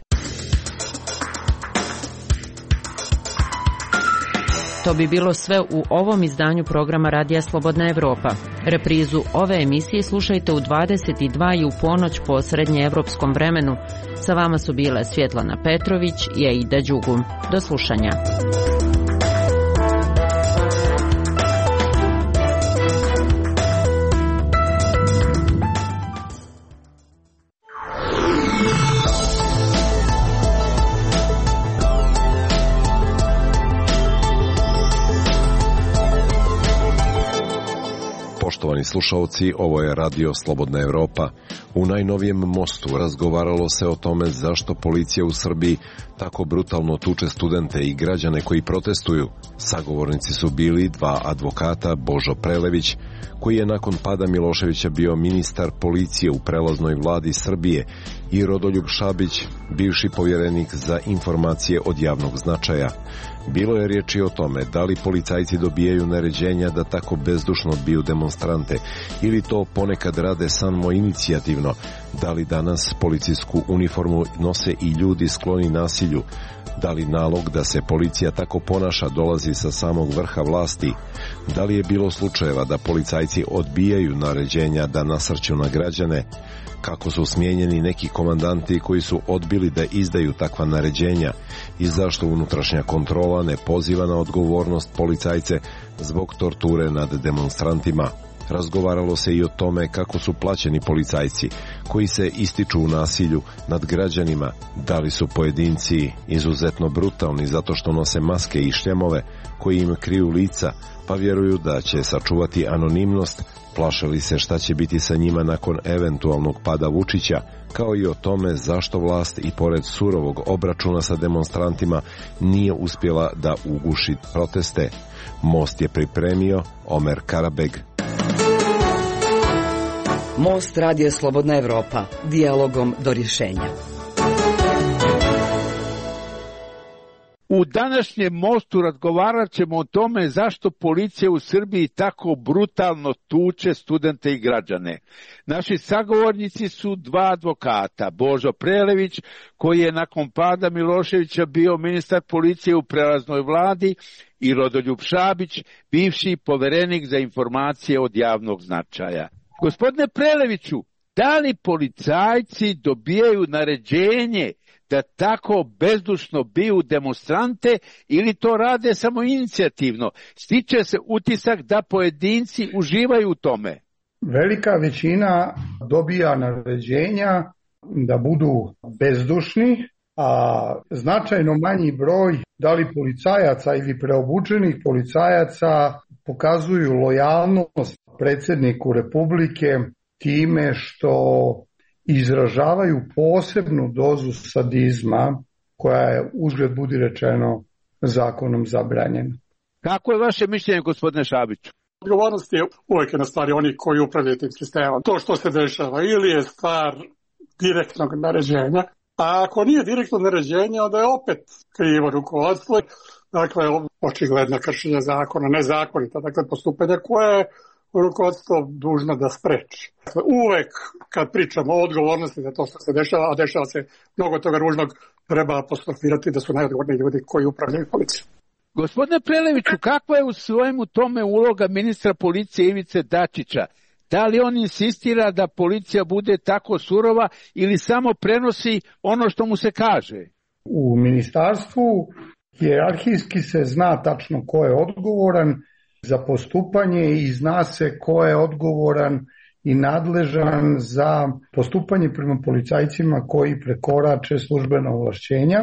Speaker 1: To bi bilo sve u ovom izdanju programa Radija Slobodna Evropa. Reprizu ove emisije slušajte u dvadeset dva i u ponoć po srednjeevropskom vremenu. Sa vama su bile Svjetlana Petrović i Aida Đugum. Do slušanja.
Speaker 19: Poštovani slušalci, ovo je Radio Slobodna Evropa. U najnovijem mostu razgovaralo se o tome zašto policija u Srbiji tako brutalno tuče studente i građane koji protestuju. Sagovornici su bili dva advokata, Božo Prelević, koji je nakon pada Miloševića bio ministar policije u prelaznoj vladi Srbije, i Rodoljub Šabić, bivši povjerenik za informacije od javnog značaja. Bilo je riječi o tome da li policajci dobijaju naređenja da tako bezdušno biju demonstrante ili to ponekad rade samo inicijativno, da li danas policijsku uniformu nose i ljudi skloni nasilju, da li nalog da se policija tako ponaša dolazi sa samog vrha vlasti, da li je bilo slučajeva da policajci odbijaju naređenja da nasrću na građane, kako su smijenjeni neki komandanti koji su odbili da izdaju takva naređenja i zašto unutrašnja kontrola ne poziva na odgovornost policajce zbog torture nad demonstrantima. Razgovaralo se i o tome kako su plaćeni policajci koji se ističu u nasilju nad građanima, da li su pojedinci izuzetno brutalni zato što nose maske i šljemove koji im kriju lica, pa vjeruju da će sačuvati anonimnost, plaše li se šta će biti sa njima nakon eventualnog pada Vučića, kao i o tome zašto vlast i pored surovog obračuna sa demonstrantima nije uspjela da uguši proteste. Most je pripremio Omer Karabeg.
Speaker 6: Most Radio Slobodna Evropa, dijalogom do rješenja.
Speaker 22: U današnjem mostu razgovarat ćemo o tome zašto policija u Srbiji tako brutalno tuče studente i građane. Naši sagovornici su dva advokata, Božo Prelević, koji je nakon pada Miloševića bio ministar policije u prelaznoj vladi, i Rodoljub Šabić, bivši poverenik za informacije od javnog značaja. Gospodine Preleviću, da li policajci dobijaju naređenje da tako bezdušno biju demonstrante ili to rade samo inicijativno? Stiče se utisak da pojedinci uživaju u tome.
Speaker 23: Velika većina dobija naređenja da budu bezdušni, a značajno manji broj, da li policajaca ili preobučenih policajaca, pokazuju lojalnost predsjedniku Republike time što izražavaju posebnu dozu sadizma koja je, uzgled budi rečeno, zakonom zabranjena.
Speaker 22: Kako je vaše mišljenje, gospodine Šabiću?
Speaker 24: Odgovornost je uvijek na stvari oni koji upravljaju tim sistemom. To što se dešava ili je stvar direktnog naređenja, a ako nije direktno naređenje, onda je opet krivo rukovodstvo. Dakle, očigledno kršenje zakona, nezakonita, dakle postupanje koje je rukovodstvo dužno da spreči. Uvek kad pričamo o odgovornosti za to što se dešava, a dešava se mnogo toga ružnog, treba apostrofirati da su najodgovorniji ljudi koji upravljaju policijom.
Speaker 22: Gospodine Preleviću, kakva je u svojemu tome uloga ministra policije Ivice Dačića? Da li on insistira da policija bude tako surova ili samo prenosi ono što mu se kaže?
Speaker 23: U ministarstvu hijerarhijski se zna tačno ko je odgovoran za postupanje i zna se ko je odgovoran i nadležan za postupanje prema policajcima koji prekorače službena ovlašćenja.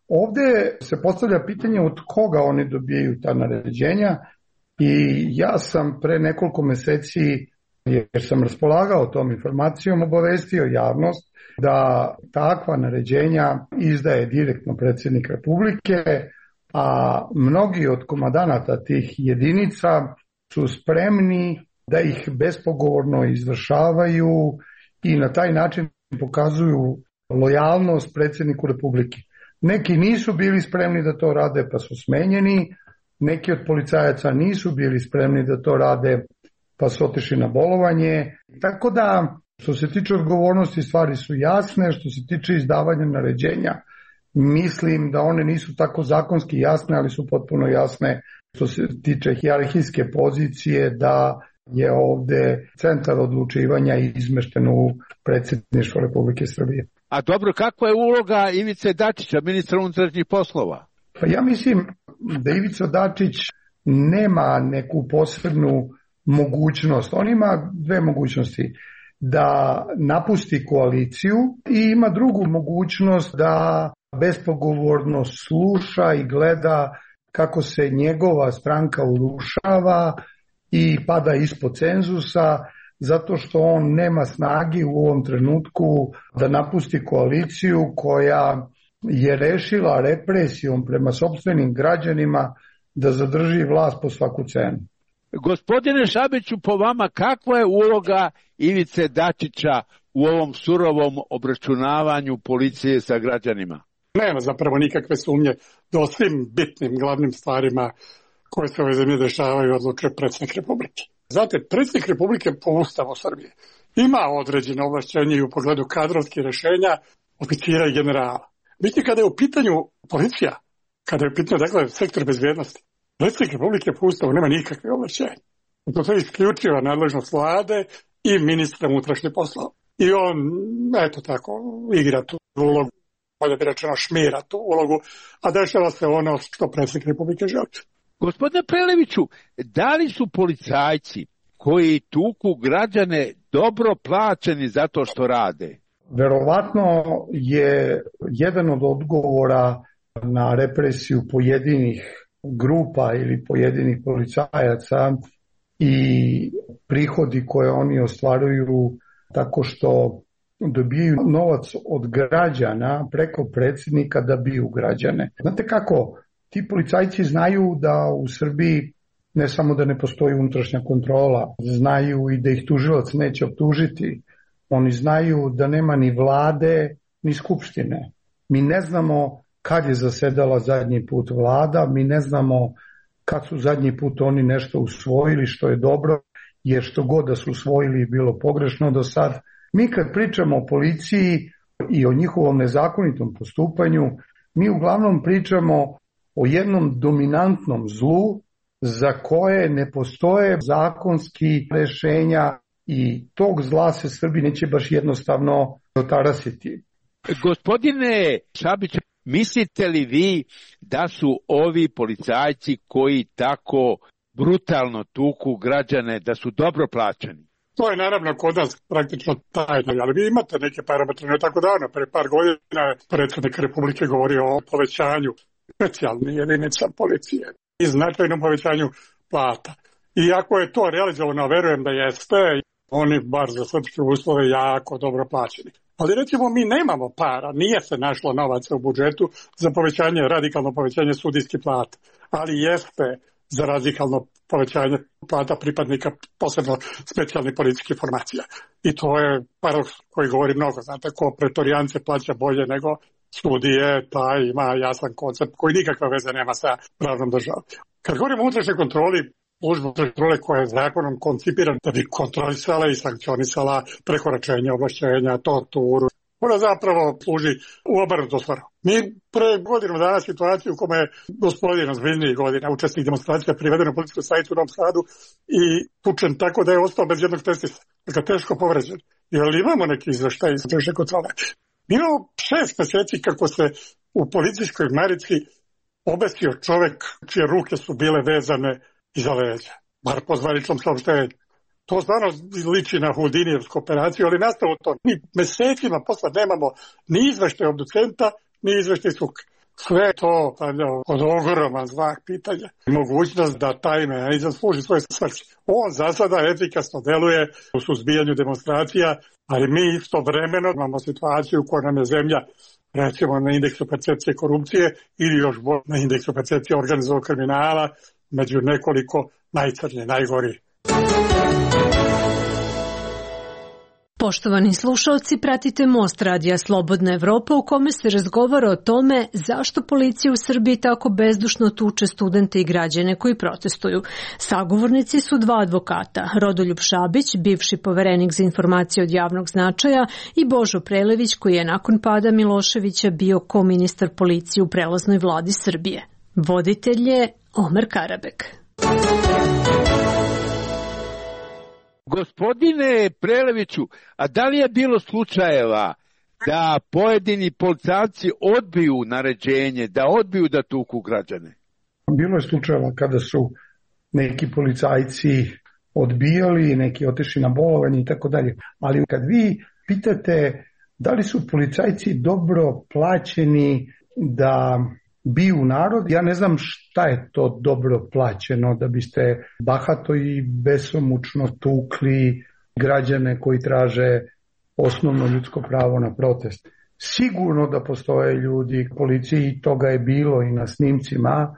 Speaker 23: Ovdje se postavlja pitanje od koga oni dobijaju ta naređenja i ja sam pre nekoliko meseci, jer sam raspolagao tom informacijom, obavestio javnost da takva naređenja izdaje direktno predsjednik Republike, a mnogi od komandanata tih jedinica su spremni da ih bespogovorno izvršavaju i na taj način pokazuju lojalnost predsjedniku Republike. Neki nisu bili spremni da to rade pa su smenjeni, neki od policajaca nisu bili spremni da to rade pa su otišli na bolovanje. Tako da, što se tiče odgovornosti, stvari su jasne. Što se tiče izdavanja naređenja, mislim da one nisu tako zakonski jasne, ali su potpuno jasne što se tiče hijerarhijske pozicije, da je ovde centar odlučivanja izmešten u predsjedništvo Republike Srbije.
Speaker 22: A dobro, kakva je uloga Ivice Dačića, ministra unutrašnjih poslova?
Speaker 23: Pa ja mislim da Ivica Dačić nema neku posebnu mogućnost. On ima dve mogućnosti. Da napusti koaliciju i ima drugu mogućnost da bespogovorno sluša i gleda kako se njegova stranka urušava i pada ispod cenzusa, zato što on nema snage u ovom trenutku da napusti koaliciju koja je rešila represijom prema sopstvenim građanima da zadrži vlast po svaku cenu.
Speaker 22: Gospodine Šabiću, po vama kakva je uloga Ivice Dačića u ovom surovom obračunavanju policije sa građanima?
Speaker 24: Nema zapravo nikakve sumnje da o svim bitnim glavnim stvarima koje se ove zemlje dešavaju odlučuje predsjednik Republike. Znate, predsjednik Republike po Ustavu Srbije ima određene ovlašćenje i u pogledu kadrovskih rešenja oficira i generala. Vidite, kada je u pitanju policija, kada je u pitanju, dakle, sektor bezbjednosti, predsjednik Republike po Ustavu nema nikakve ovlašćenja. To je isključiva nadležnost vlade i ministra unutrašnjih poslova. I on, eto tako, igra tu ulogu, bolje bi rečeno šmira tu ulogu, a dešava se ono što predsjednik Republike želi.
Speaker 22: Gospodine Preleviću, da li su policajci koji tuku građane dobro plaćeni za to što rade?
Speaker 23: Verovatno je jedan od odgovora na represiju pojedinih grupa ili pojedinih policajaca i prihodi koje oni ostvaruju tako što dobijaju novac od građana preko predsjednika da biju građane. Znate kako, ti policajci znaju da u Srbiji ne samo da ne postoji unutrašnja kontrola, znaju i da ih tužilac neće optužiti. Oni znaju da nema ni vlade, ni skupštine. Mi ne znamo kad je zasedala zadnji put vlada, mi ne znamo kad su zadnji put oni nešto usvojili što je dobro, jer što god da su usvojili je bilo pogrešno do sad. Mi kad pričamo o policiji i o njihovom nezakonitom postupanju, mi uglavnom pričamo o jednom dominantnom zlu za koje ne postoje zakonski rešenja i tog zla se Srbi neće baš jednostavno otarasiti.
Speaker 22: Gospodine Šabić, mislite li vi da su ovi policajci koji tako brutalno tuku građane, da su dobro plaćeni?
Speaker 24: To je naravno kod nas praktično tajno, ali vi imate neke parametre, ne tako davno, pre par godina predsjednik Republike govorio o povećanju specijalnih jedinica policije i značajnom povećanju plata. I ako je to realizovano, verujem da jeste, oni bar za srpske uslove jako dobro plaćeni. Ali recimo mi nemamo para, nije se našlo novaca u budžetu za povećanje, radikalno povećanje sudijskih plata, ali jeste za radikalno povećanje plata pripadnika posebno specijalnih policijskih formacija. I to je paradoks koji govori mnogo. Znate, ko pretorijance plaća bolje nego sudije, taj ima jasan koncept koji nikakve veze nema sa pravnom državom. Kad govorimo o unutrašnjoj kontroli, služba kontrole koja je zakonom koncipirana da bi kontrolisala i sankcionisala prekoračenje ovlašćenja, torturu. Ona zapravo služi u obrnutu svrhu. Mi pre godinu dana situaciju u kome je gospodin ozbiljnijih godina, učesnik demonstracija priveden u policijsku stanicu u Novom Sadu i tučen tako da je ostao bez jednog testisa. Dakle, teško povređen. Jer imamo neki izveštaj iz unutrašnje kontrole. Mi imamo šest meseci kako se u policijskoj marici obesio čovek čije ruke su bile vezane iza leđa, bar po zvaničnom saopštenju. To stvarno liči na Houdinijevsku operaciju, ali nastavu to. Mi mesecima posle nemamo ni izveštaj obducenta, ni izveštaj suka. Sve to stavlja od ogroman znak pitanja. Mogućnost da taj mehanizam služi svoje svrhe. On za sada efikasno deluje u suzbijanju demonstracija, ali mi istovremeno imamo situaciju u kojoj nam je zemlja, recimo na indeksu percepcije korupcije ili još bolje na indeksu percepcije organizovanog kriminala, među nekoliko najcrnje, najgori.
Speaker 5: Poštovani slušalci, pratite Most radija Slobodna Evropa u kome se razgovara o tome zašto policija u Srbiji tako bezdušno tuče studente i građane koji protestuju. Sagovornici su dva advokata, Rodoljub Šabić, bivši poverenik za informacije od javnog značaja, i Božo Prelević, koji je nakon pada Miloševića bio koministar policije u prelaznoj vladi Srbije. Voditelj je Omer Karabek.
Speaker 22: Gospodine Preleviću, a da li je bilo slučajeva da pojedini policajci odbiju naređenje, da odbiju da tuku građane?
Speaker 23: Bilo je slučajeva kada su neki policajci odbijali, neki otišli na bolovanje i tako dalje. Ali kad vi pitate da li su policajci dobro plaćeni da biju narod, ja ne znam šta je to dobro plaćeno da biste bahato i besomučno tukli građane koji traže osnovno ljudsko pravo na protest. Sigurno da postoje ljudi u policiji, toga je bilo i na snimcima,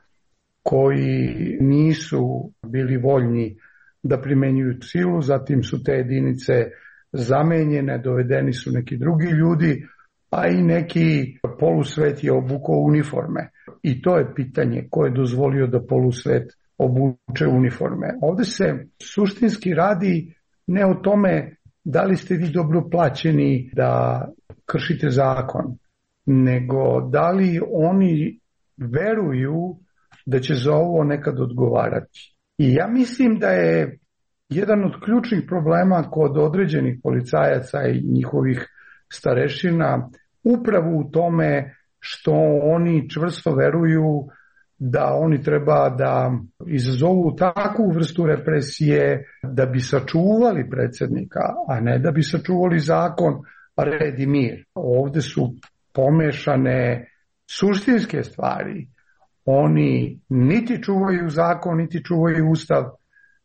Speaker 23: koji nisu bili voljni da primenjuju silu, zatim su te jedinice zamenjene, dovedeni su neki drugi ljudi, a i neki polusvet je obukao uniforme. I to je pitanje ko je dozvolio da polusvet obuče uniforme. Ovde se suštinski radi ne o tome da li ste vi dobro plaćeni da kršite zakon, nego da li oni veruju da će za ovo nekad odgovarati. I ja mislim da je jedan od ključnih problema kod određenih policajaca i njihovih starešina upravo u tome što oni čvrsto veruju da oni treba da izazovu takvu vrstu represije da bi sačuvali predsjednika, a ne da bi sačuvali zakon, red i mir. Ovde su pomešane suštinske stvari. Oni niti čuvaju zakon, niti čuvaju ustav,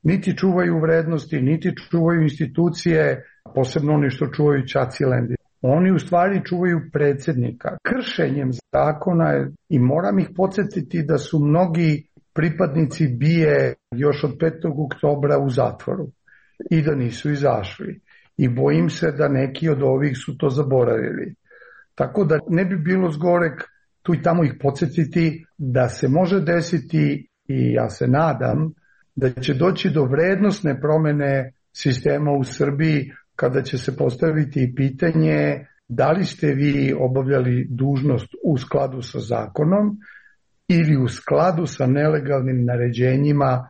Speaker 23: niti čuvaju vrednosti, niti čuvaju institucije, posebno oni što čuvaju Čacilendi. Oni u stvari čuvaju predsjednika. Kršenjem zakona je, i moram ih podsjetiti da su mnogi pripadnici BIA još od petog oktobra u zatvoru i da nisu izašli. I bojim se da neki od ovih su to zaboravili. Tako da ne bi bilo zgorek tu i tamo ih podsjetiti da se može desiti, i ja se nadam, da će doći do vrednosne promene sistema u Srbiji kada će se postaviti pitanje da li ste vi obavljali dužnost u skladu sa zakonom ili u skladu sa nelegalnim naređenjima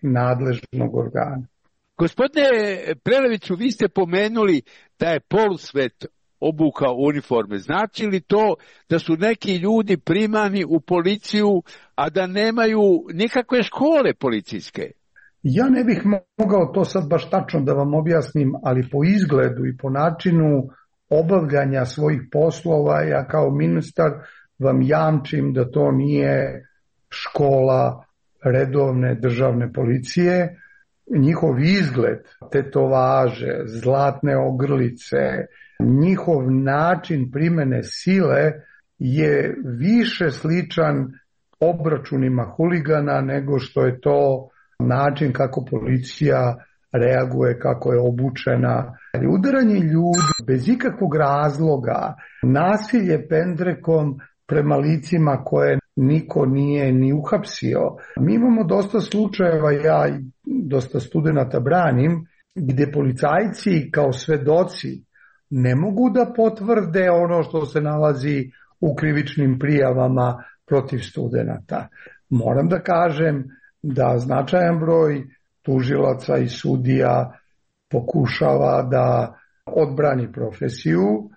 Speaker 23: nenadležnog organa.
Speaker 22: Gospodine Preleviću, vi ste pomenuli da je polusvet obukao uniforme. Znači li to da su neki ljudi primani u policiju, a da nemaju nikakve škole policijske?
Speaker 23: Ja ne bih mogao to sad baš tačno da vam objasnim, ali po izgledu i po načinu obavljanja svojih poslova, ja kao ministar vam jamčim da to nije škola redovne državne policije. Njihov izgled, tetovaže, zlatne ogrlice, njihov način primene sile je više sličan obračunima huligana nego što je to način kako policija reaguje, kako je obučena. Udaranje ljudi bez ikakvog razloga, nasilje pendrekom prema licima koje niko nije ni uhapsio. Mi imamo dosta slučajeva, ja i dosta studenata branim, gde policajci kao svedoci ne mogu da potvrde ono što se nalazi u krivičnim prijavama protiv studenata. Moram da kažem da značajan broj tužilaca i sudija pokušava da odbrani profesiju,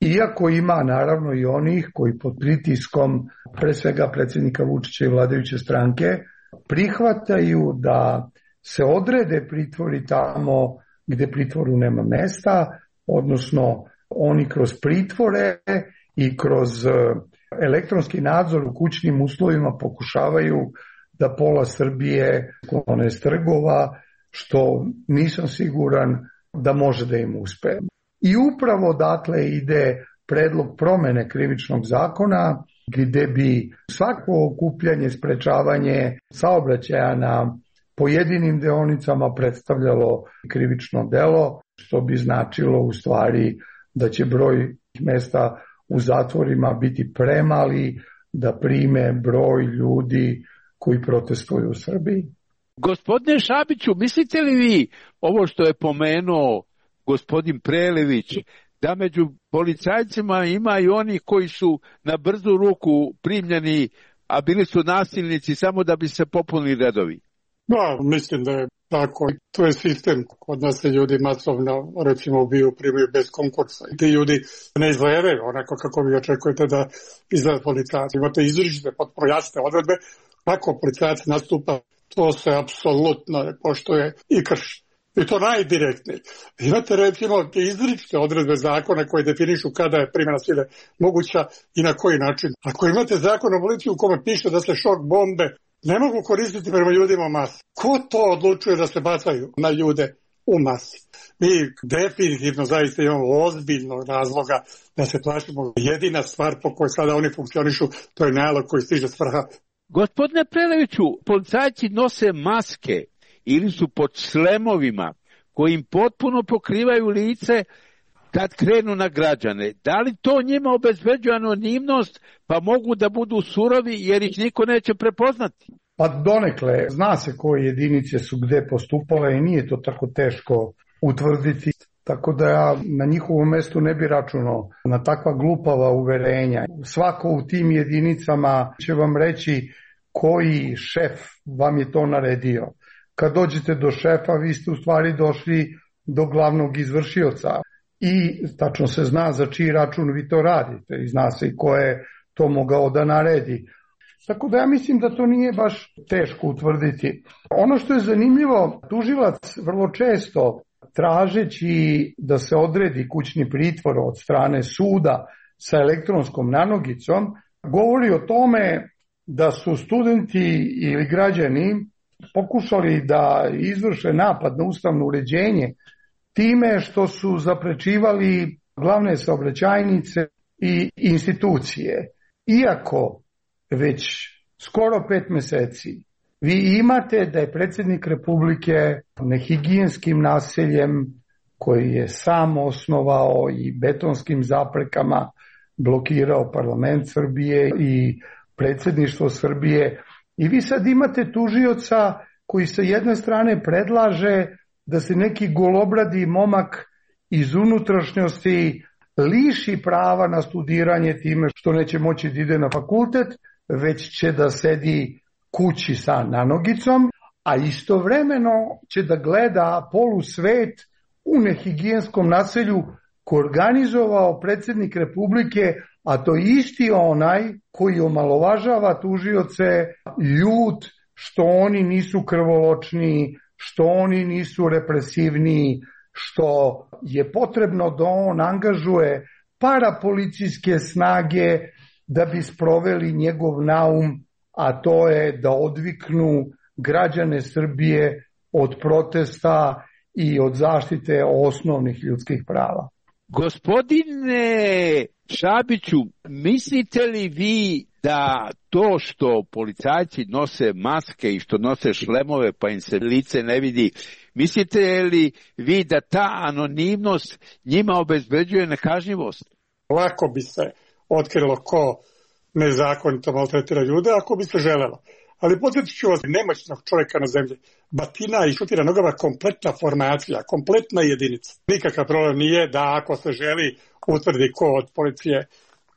Speaker 23: iako ima naravno i onih koji pod pritiskom pre svega predsjednika Vučića i vladajuće stranke prihvataju da se odrede pritvori tamo gde pritvoru nema mesta, odnosno oni kroz pritvore i kroz elektronski nadzor u kućnim uslovima pokušavaju da pola Srbije sklone s trgova, što nisam siguran da može da im uspe. I upravo odatle ide predlog promene krivičnog zakona, gde bi svako okupljanje, sprečavanje saobraćaja na pojedinim deonicama predstavljalo krivično delo, što bi značilo u stvari da će broj mesta u zatvorima biti premali da prime broj ljudi koji protestuju u Srbiji.
Speaker 22: Gospodine Šabiću, mislite li vi ovo što je pomenuo gospodin Prelević, da među policajcima ima i oni koji su na brzu ruku primljeni a bili su nasilnici samo da bi se popunili redovi.
Speaker 24: Da, mislim da je tako. To je sistem. Kod nas se ljudi masovno, recimo, ubiju, primaju bez konkursa. I ti ljudi ne izgledaju onako kako vi očekujete da izgleda policajac. Imate izričite potpuno jasne odredbe kako policajac nastupa. To se apsolutno ne poštuje i krši. I to najdirektnije. Imate recimo te izričite odredbe zakona koje definišu kada je primjena sile moguća i na koji način. Ako imate zakon o policiji u kome piše da se šok bombe ne mogu koristiti prema ljudima u masi, ko to odlučuje da se bacaju na ljude u masi? Mi definitivno zaista imamo ozbiljnog razloga da se plašimo. Jedina stvar po kojoj sada oni funkcionišu, to je nalog koji stiže s vrha.
Speaker 22: Gospodine Preleviću, policajci nose maske ili su pod šlemovima koji im potpuno pokrivaju lice kad krenu na građane. Da li to njima obezbeđuje anonimnost pa mogu da budu surovi jer ih niko neće prepoznati?
Speaker 23: Pa donekle, zna se koje jedinice su gde postupale i nije to tako teško utvrditi. Tako da ja na njihovom mestu ne bi računao na takva glupava uverenja. Svako u tim jedinicama će vam reći koji šef vam je to naredio. Kad dođete do šefa, vi ste u stvari došli do glavnog izvršioca i tačno se zna za čiji račun vi to radite i zna se i ko je to mogao da naredi. Tako da ja mislim da to nije baš teško utvrditi. Ono što je zanimljivo, tužilac vrlo često tražeći da se odredi kućni pritvor od strane suda sa elektronskom nanogicom, govori o tome da su studenti ili građani pokušali da izvrše napad na ustavno uređenje time što su zaprečivali glavne saobraćajnice i institucije. Iako već skoro pet meseci vi imate da je predsjednik Republike nehigijenskim naseljem koji je sam osnovao i betonskim zaprekama blokirao parlament Srbije i predsjedništvo Srbije. I vi sad imate tužioca koji sa jedne strane predlaže da se neki golobradi momak iz unutrašnjosti liši prava na studiranje time što neće moći da ide na fakultet, već će da sedi kući sa nanogicom, a istovremeno će da gleda polusvet u nehigijenskom naselju koji organizovao predsjednik Republike, a to je isti onaj koji omalovažava tužioce ljut što oni nisu krvoločni, što oni nisu represivni, što je potrebno da on angažuje parapolicijske snage da bi sproveli njegov naum, a to je da odviknu građane Srbije od protesta i od zaštite osnovnih ljudskih prava.
Speaker 22: Gospodine Šabiću, mislite li vi da to što policajci nose maske i što nose šlemove pa im se lice ne vidi, mislite li vi da ta anonimnost njima obezbeđuje nekažnjivost?
Speaker 24: Lako bi se otkrilo ko nezakonito maltretira ljude ako bi se želelo. Ali podsjetit ću vas, nemoćnog čovjeka na zemlji batina i šutira nogama kompletna formacija, kompletna jedinica. Nikakav problem nije da ako se želi utvrdi ko od policije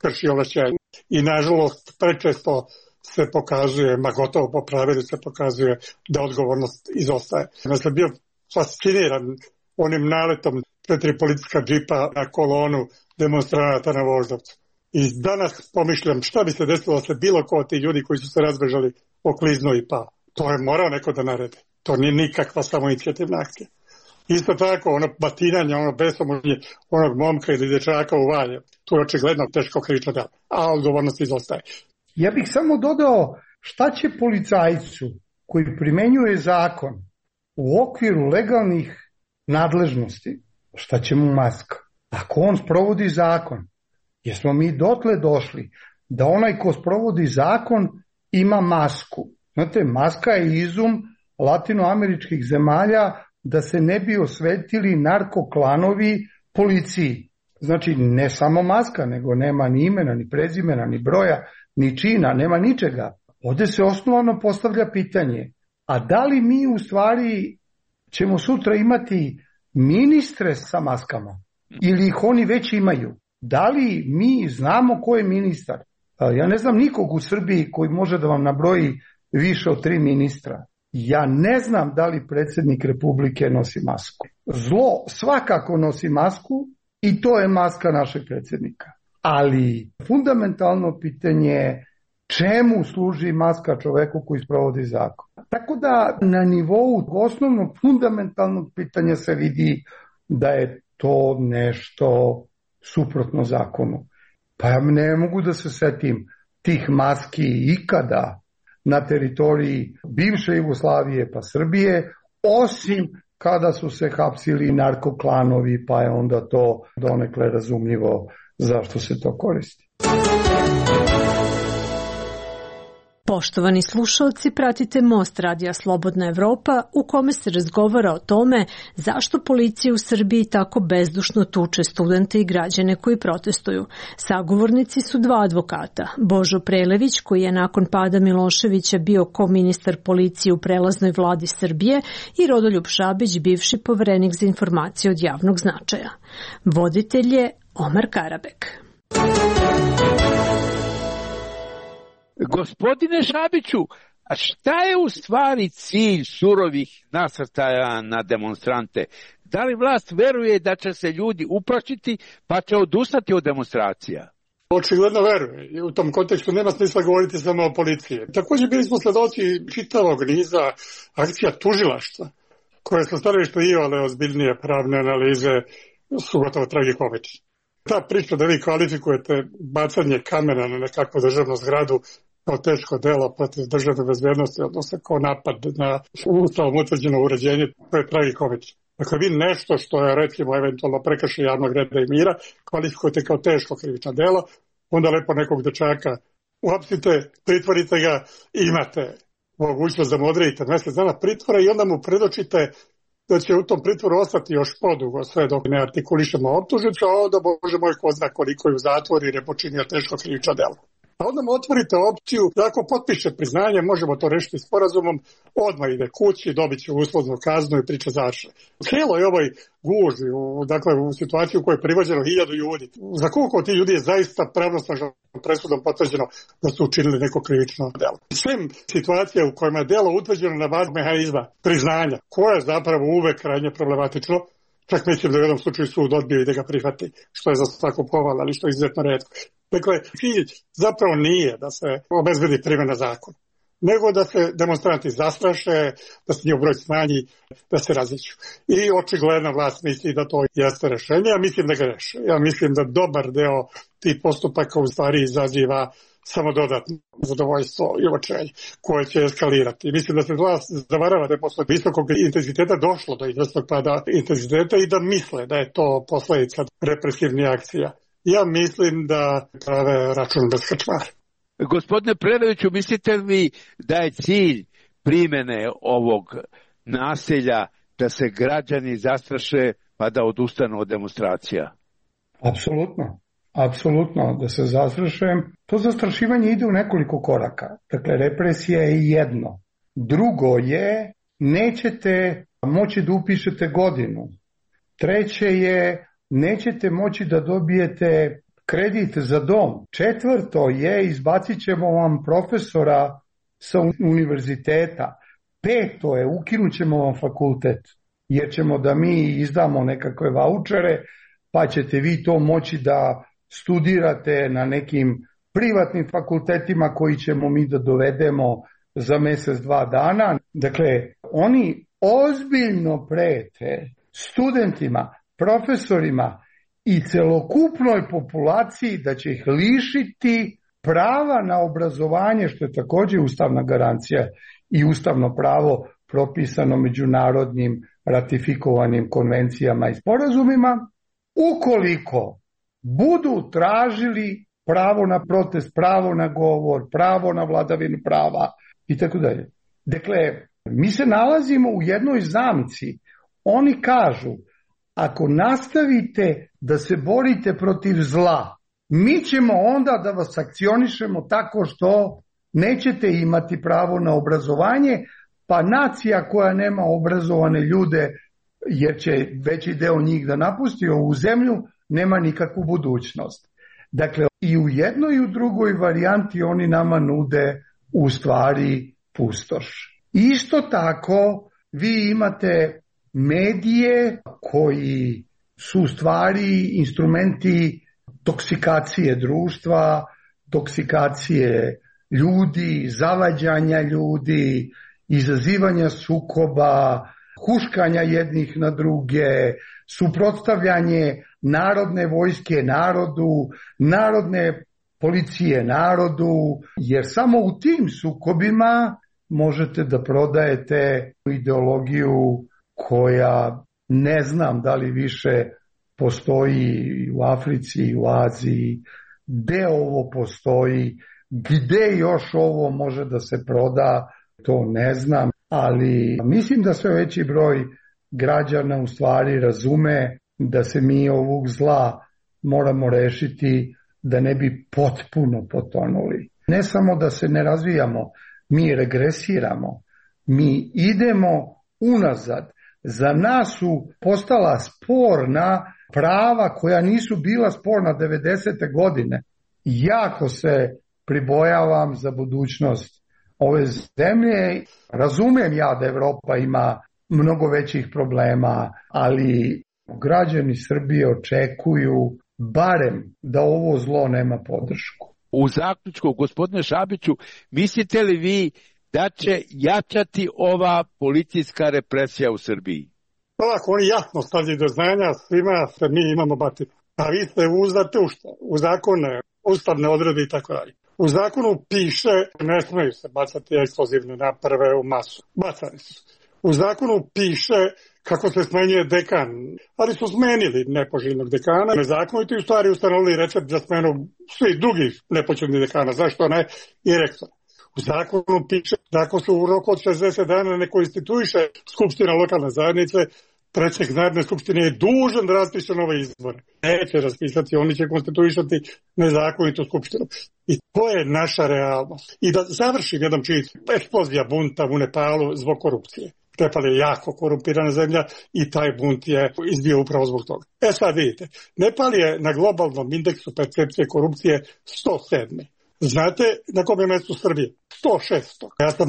Speaker 24: krši ovlašćenje. I nažalost prečesto se pokazuje, ma gotovo po pravilu se pokazuje da odgovornost izostaje. Ja sam bio fasciniran onim naletom četiri policijska džipa na kolonu demonstranata na Voždovcu. I danas pomišljam šta bi se desilo da se bilo ko od tih ljudi koji su se razbežali okliznuo i pao. To je morao neko da naredi. To nije nikakva samoinicijativna akcija. Isto tako, ono batinanje, ono besomučenje onog momka ili dječaka u Valjevu, to je očigledno teško krivično delo, a odgovornost izostaje.
Speaker 23: Ja bih samo dodao šta će policajcu koji primenjuje zakon u okviru legalnih nadležnosti, šta će mu maska? Ako on sprovodi zakon, jesmo mi dotle došli da onaj ko sprovodi zakon ima masku. Znate, maska je izum latinoameričkih zemalja da se ne bi osvetili narkoklanovi policiji. Znači, ne samo maska, nego nema ni imena, ni prezimena, ni broja, ni čina, nema ničega. Ovde se osnovano postavlja pitanje, a da li mi u stvari ćemo sutra imati ministre sa maskama? Ili ih oni već imaju? Da li mi znamo ko je ministar? Ja ne znam nikog u Srbiji koji može da vam nabroji više od tri ministra. Ja ne znam da li predsjednik Republike nosi masku. Zlo svakako nosi masku i to je maska našeg predsjednika. Ali fundamentalno pitanje je čemu služi maska čoveku koji sprovodi zakon. Tako da na nivou osnovnog fundamentalnog pitanja se vidi da je to nešto suprotno zakonu. Pa ja ne mogu da se setim tih maski ikada na teritoriji bivše Jugoslavije pa Srbije, osim kada su se hapsili narkoklanovi, pa je onda to donekle razumljivo zašto se to koristi.
Speaker 5: Poštovani slušalci, pratite Most radija Slobodna Evropa u kome se razgovara o tome zašto policija u Srbiji tako bezdušno tuče studente i građane koji protestuju. Sagovornici su dva advokata, Božo Prelević koji je nakon pada Miloševića bio koministar policije u prelaznoj vladi Srbije i Rodoljub Šabić, bivši poverenik za informacije od javnog značaja. Voditelj je Omar Karabek.
Speaker 22: Gospodine Šabiću, a šta je u stvari cilj surovih nasrtaja na demonstrante? Da li vlast veruje da će se ljudi uplašiti pa će odustati od demonstracija?
Speaker 24: Očigledno veruje i u tom kontekstu nema smisla govoriti samo o policiji. Također bili smo sledoci čitavog niza akcija tužilaštva koje su stanovište iole ozbiljnije pravne analize su gotovo tragikomične. Ta priča da vi kvalifikujete bacanje kamena na nekakvu državnu zgradu kao teško delo protiv državne bezbednosti, odnosno kao napad na ustavom utvrđeno uređenje, to je tragikomično. Dakle, vi nešto što je, recimo, eventualno prekršaj javnog reda i mira, kvalifikujete kao teško krivično delo, onda lepo nekog dečaka uhapsite, pritvorite ga, imate mogućnost da mu odredite mjesec dana pritvora i onda mu predočite da će u tom pritvoru ostati još podugo sve dok ne artikulišemo optužnicu, a onda, Bože moj, ko zna koliko je u zatvoru jer je počinio teško krivično delo. A onda mu otvorite opciju da ako potpiše priznanje, možemo to rešiti sporazumom, odmah ide kući, dobit će uslovnu kaznu i priča završena. Cijelo je ovoj gužvi, u, dakle u situaciju u kojoj je privođeno hiljadu ljudi. Za koliko ti ljudi je zaista pravnosnažnom presudom potvrđeno da su učinili neko krivično delo. Svim situacije u kojima je delo utvrđeno na bazi mehanizma priznanja, koje je zapravo uvek krajnje problematično, čak mislim da u jednom slučaju sud odbio i da ga prihvati, što je za svaku pohvalu, ali što je izuzetno retko. Dakle, cilj zapravo nije da se obezbedi primjena zakona, nego da se demonstranti zastraše, da se njihov broj smanji, da se različu. I očigledna vlast misli da to jeste rešenje, ja mislim da ga reše. Ja mislim da dobar deo tih postupaka u stvari izaziva samo dodatno zadovoljstvo i očaj koje će eskalirati. Mislim da se vlast zavarava da je posle visokog intenziteta došlo do izvesnog pada intenziteta i da misle da je to posledica represivnih akcija. Ja mislim da prave račun bez krčmara.
Speaker 22: Gospodine Preleviću, mislite li da je cilj primjene ovog nasilja da se građani zastraše pa da odustanu od demonstracija?
Speaker 23: Apsolutno. Apsolutno, da se zastrašujem. To zastrašivanje ide u nekoliko koraka. Dakle, represija je jedno. Drugo je, nećete moći da upišete godinu. Treće je, nećete moći da dobijete kredit za dom. Četvrto je, izbacit ćemo vam profesora sa univerziteta. Peto je, ukinut ćemo vam fakultet, jer ćemo da mi izdamo nekakve vaučere, pa ćete vi to moći da studirate na nekim privatnim fakultetima koji ćemo mi da dovedemo za mjesec, dva dana. Dakle, oni ozbiljno prete studentima, profesorima i celokupnoj populaciji da će ih lišiti prava na obrazovanje, što je također ustavna garancija i ustavno pravo propisano međunarodnim ratifikovanim konvencijama i sporazumima, ukoliko budu tražili pravo na protest, pravo na govor, pravo na vladavinu prava i tako dalje. Dakle, mi se nalazimo u jednoj zamci. Oni kažu, ako nastavite da se borite protiv zla, mi ćemo onda da vas sankcionišemo tako što nećete imati pravo na obrazovanje, pa nacija koja nema obrazovane ljude, jer će veći deo njih da napusti ovu zemlju, nema nikakvu budućnost. Dakle, i u jednoj i u drugoj varijanti oni nama nude u stvari pustoš. Isto tako vi imate medije koji su u stvari instrumenti toksikacije društva, toksikacije ljudi, zavađanja ljudi, izazivanja sukoba, huškanja jednih na druge, suprotstavljanje narodne vojske narodu, narodne policije narodu, jer samo u tim sukobima možete da prodajete ideologiju koja ne znam da li više postoji u Africi i u Aziji, gde ovo postoji, gde još ovo može da se proda, to ne znam, ali mislim da sve veći broj građana u stvari razume da se mi ovog zla moramo rešiti da ne bi potpuno potonuli. Ne samo da se ne razvijamo, mi regresiramo, mi idemo unazad. Za nas su postala sporna prava koja nisu bila sporna devedesete godine. Jako se pribojavam za budućnost ove zemlje. Razumem ja da Evropa ima mnogo većih problema, ali građani Srbije očekuju barem da ovo zlo nema podršku.
Speaker 22: U zaključku, gospodine Šabiću, mislite li vi da će jačati ova policijska represija u Srbiji?
Speaker 24: Ovako, oni jasno stavljaju do znanja svima da mi imamo batinu. A vi ste uzdate u šta? U zakone, ustavne odrede i tako dalje. U zakonu piše ne smeju se bacati eksplozivne naprave u masu. Bacani su. U zakonu piše kako se smenjuje dekan, ali su smenili nepoželjnog dekana. Nezakonito i u stvari ustanovili recept za smenu svih drugih nepoželjnih dekana. Zašto ne? I rektora. U zakonu piše da ako su u roku od šezdeset dana ne konstituiše Skupština lokalne zajednice, predsjednik Narodne skupštine je dužan da raspiše nove izbore. Neće raspisati, oni će konstituisati nezakonitu skupštinu. I to je naša realnost. I da završim jedan čin, eksplozija bunta u Nepalu zbog korupcije. Nepal je jako korumpirana zemlja i taj bunt je izbio upravo zbog toga. E sad vidite, Nepal je na globalnom indeksu percepcije korupcije sto sedam. Znate na kom je mjestu Srbije? sto šest. Ja sam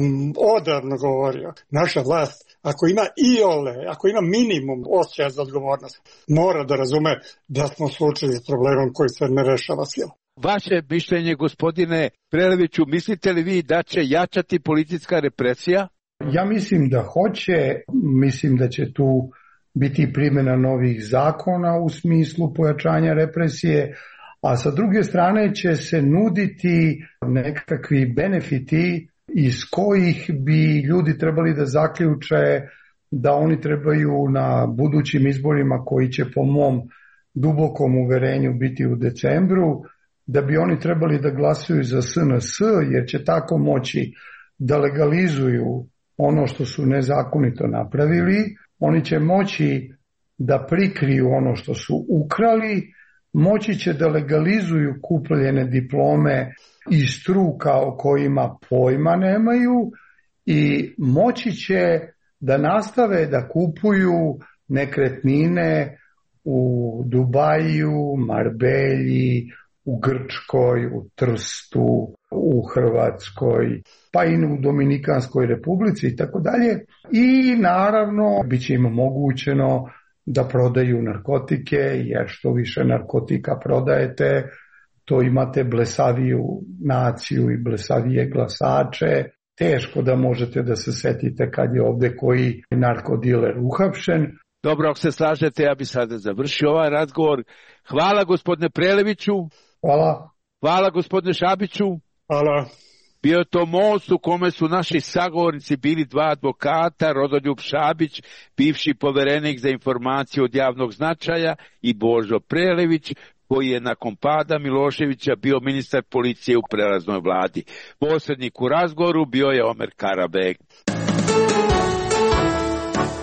Speaker 24: odavno govorio, naša vlast, ako ima iole, ako ima minimum osjećaja za odgovornost, mora da razume da smo suočeni s problemom koji se ne rešava silom.
Speaker 22: Vaše mišljenje, gospodine Preleviću, mislite li vi da će jačati policijska represija?
Speaker 23: Ja mislim da hoće, mislim da će tu biti primjena novih zakona u smislu pojačanja represije, a sa druge strane će se nuditi nekakvi benefiti iz kojih bi ljudi trebali da zaključe da oni trebaju na budućim izborima koji će po mom dubokom uverenju biti u decembru, da bi oni trebali da glasuju za S N S jer će tako moći da legalizuju ono što su nezakonito napravili, oni će moći da prikriju ono što su ukrali, moći će da legalizuju kupljene diplome iz struka o kojima pojma nemaju i moći će da nastave da kupuju nekretnine u Dubaju, Marbelji, u Grčkoj, u Trstu, u Hrvatskoj, pa i u Dominikanskoj republici i tako dalje. I naravno bit će im omogućeno da prodaju narkotike, jer što više narkotika prodajete, to imate blesaviju naciju i blesavije glasače. Teško da možete da se setite kad je ovde koji narkodiler uhapšen.
Speaker 22: Dobro, ako se slažete, ja bi sada završio ovaj razgovor. Hvala gospodine Preleviću.
Speaker 23: Hvala.
Speaker 22: Hvala gospodine Šabiću.
Speaker 24: Hvala.
Speaker 22: Bio je to most u kome su naši sagovornici bili dva advokata, Rodoljub Šabić, bivši poverenik za informacije od javnog značaja, i Božo Prelević, koji je nakon pada Miloševića bio ministar policije u prelaznoj vladi. Posrednik u razgovoru bio je Omer Karabek.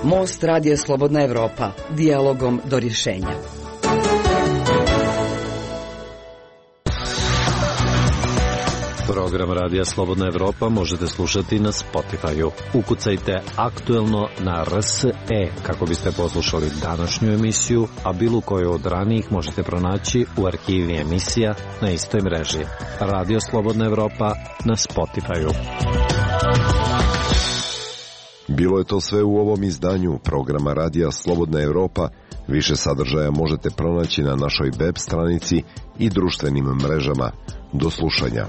Speaker 6: Most Radija Slobodna Evropa. Dijalogom do rješenja.
Speaker 7: Program Radija Slobodna Evropa možete slušati na Spotify-u. Ukucajte aktuelno na R S E kako biste poslušali današnju emisiju, a bilo koju od ranijih možete pronaći u arhivi emisija na istoj mreži. Radio Slobodna Evropa na Spotify-u.
Speaker 19: Bilo je to sve u ovom izdanju programa Radija Slobodna Evropa. Više sadržaja možete pronaći na našoj web stranici i društvenim mrežama. Do slušanja.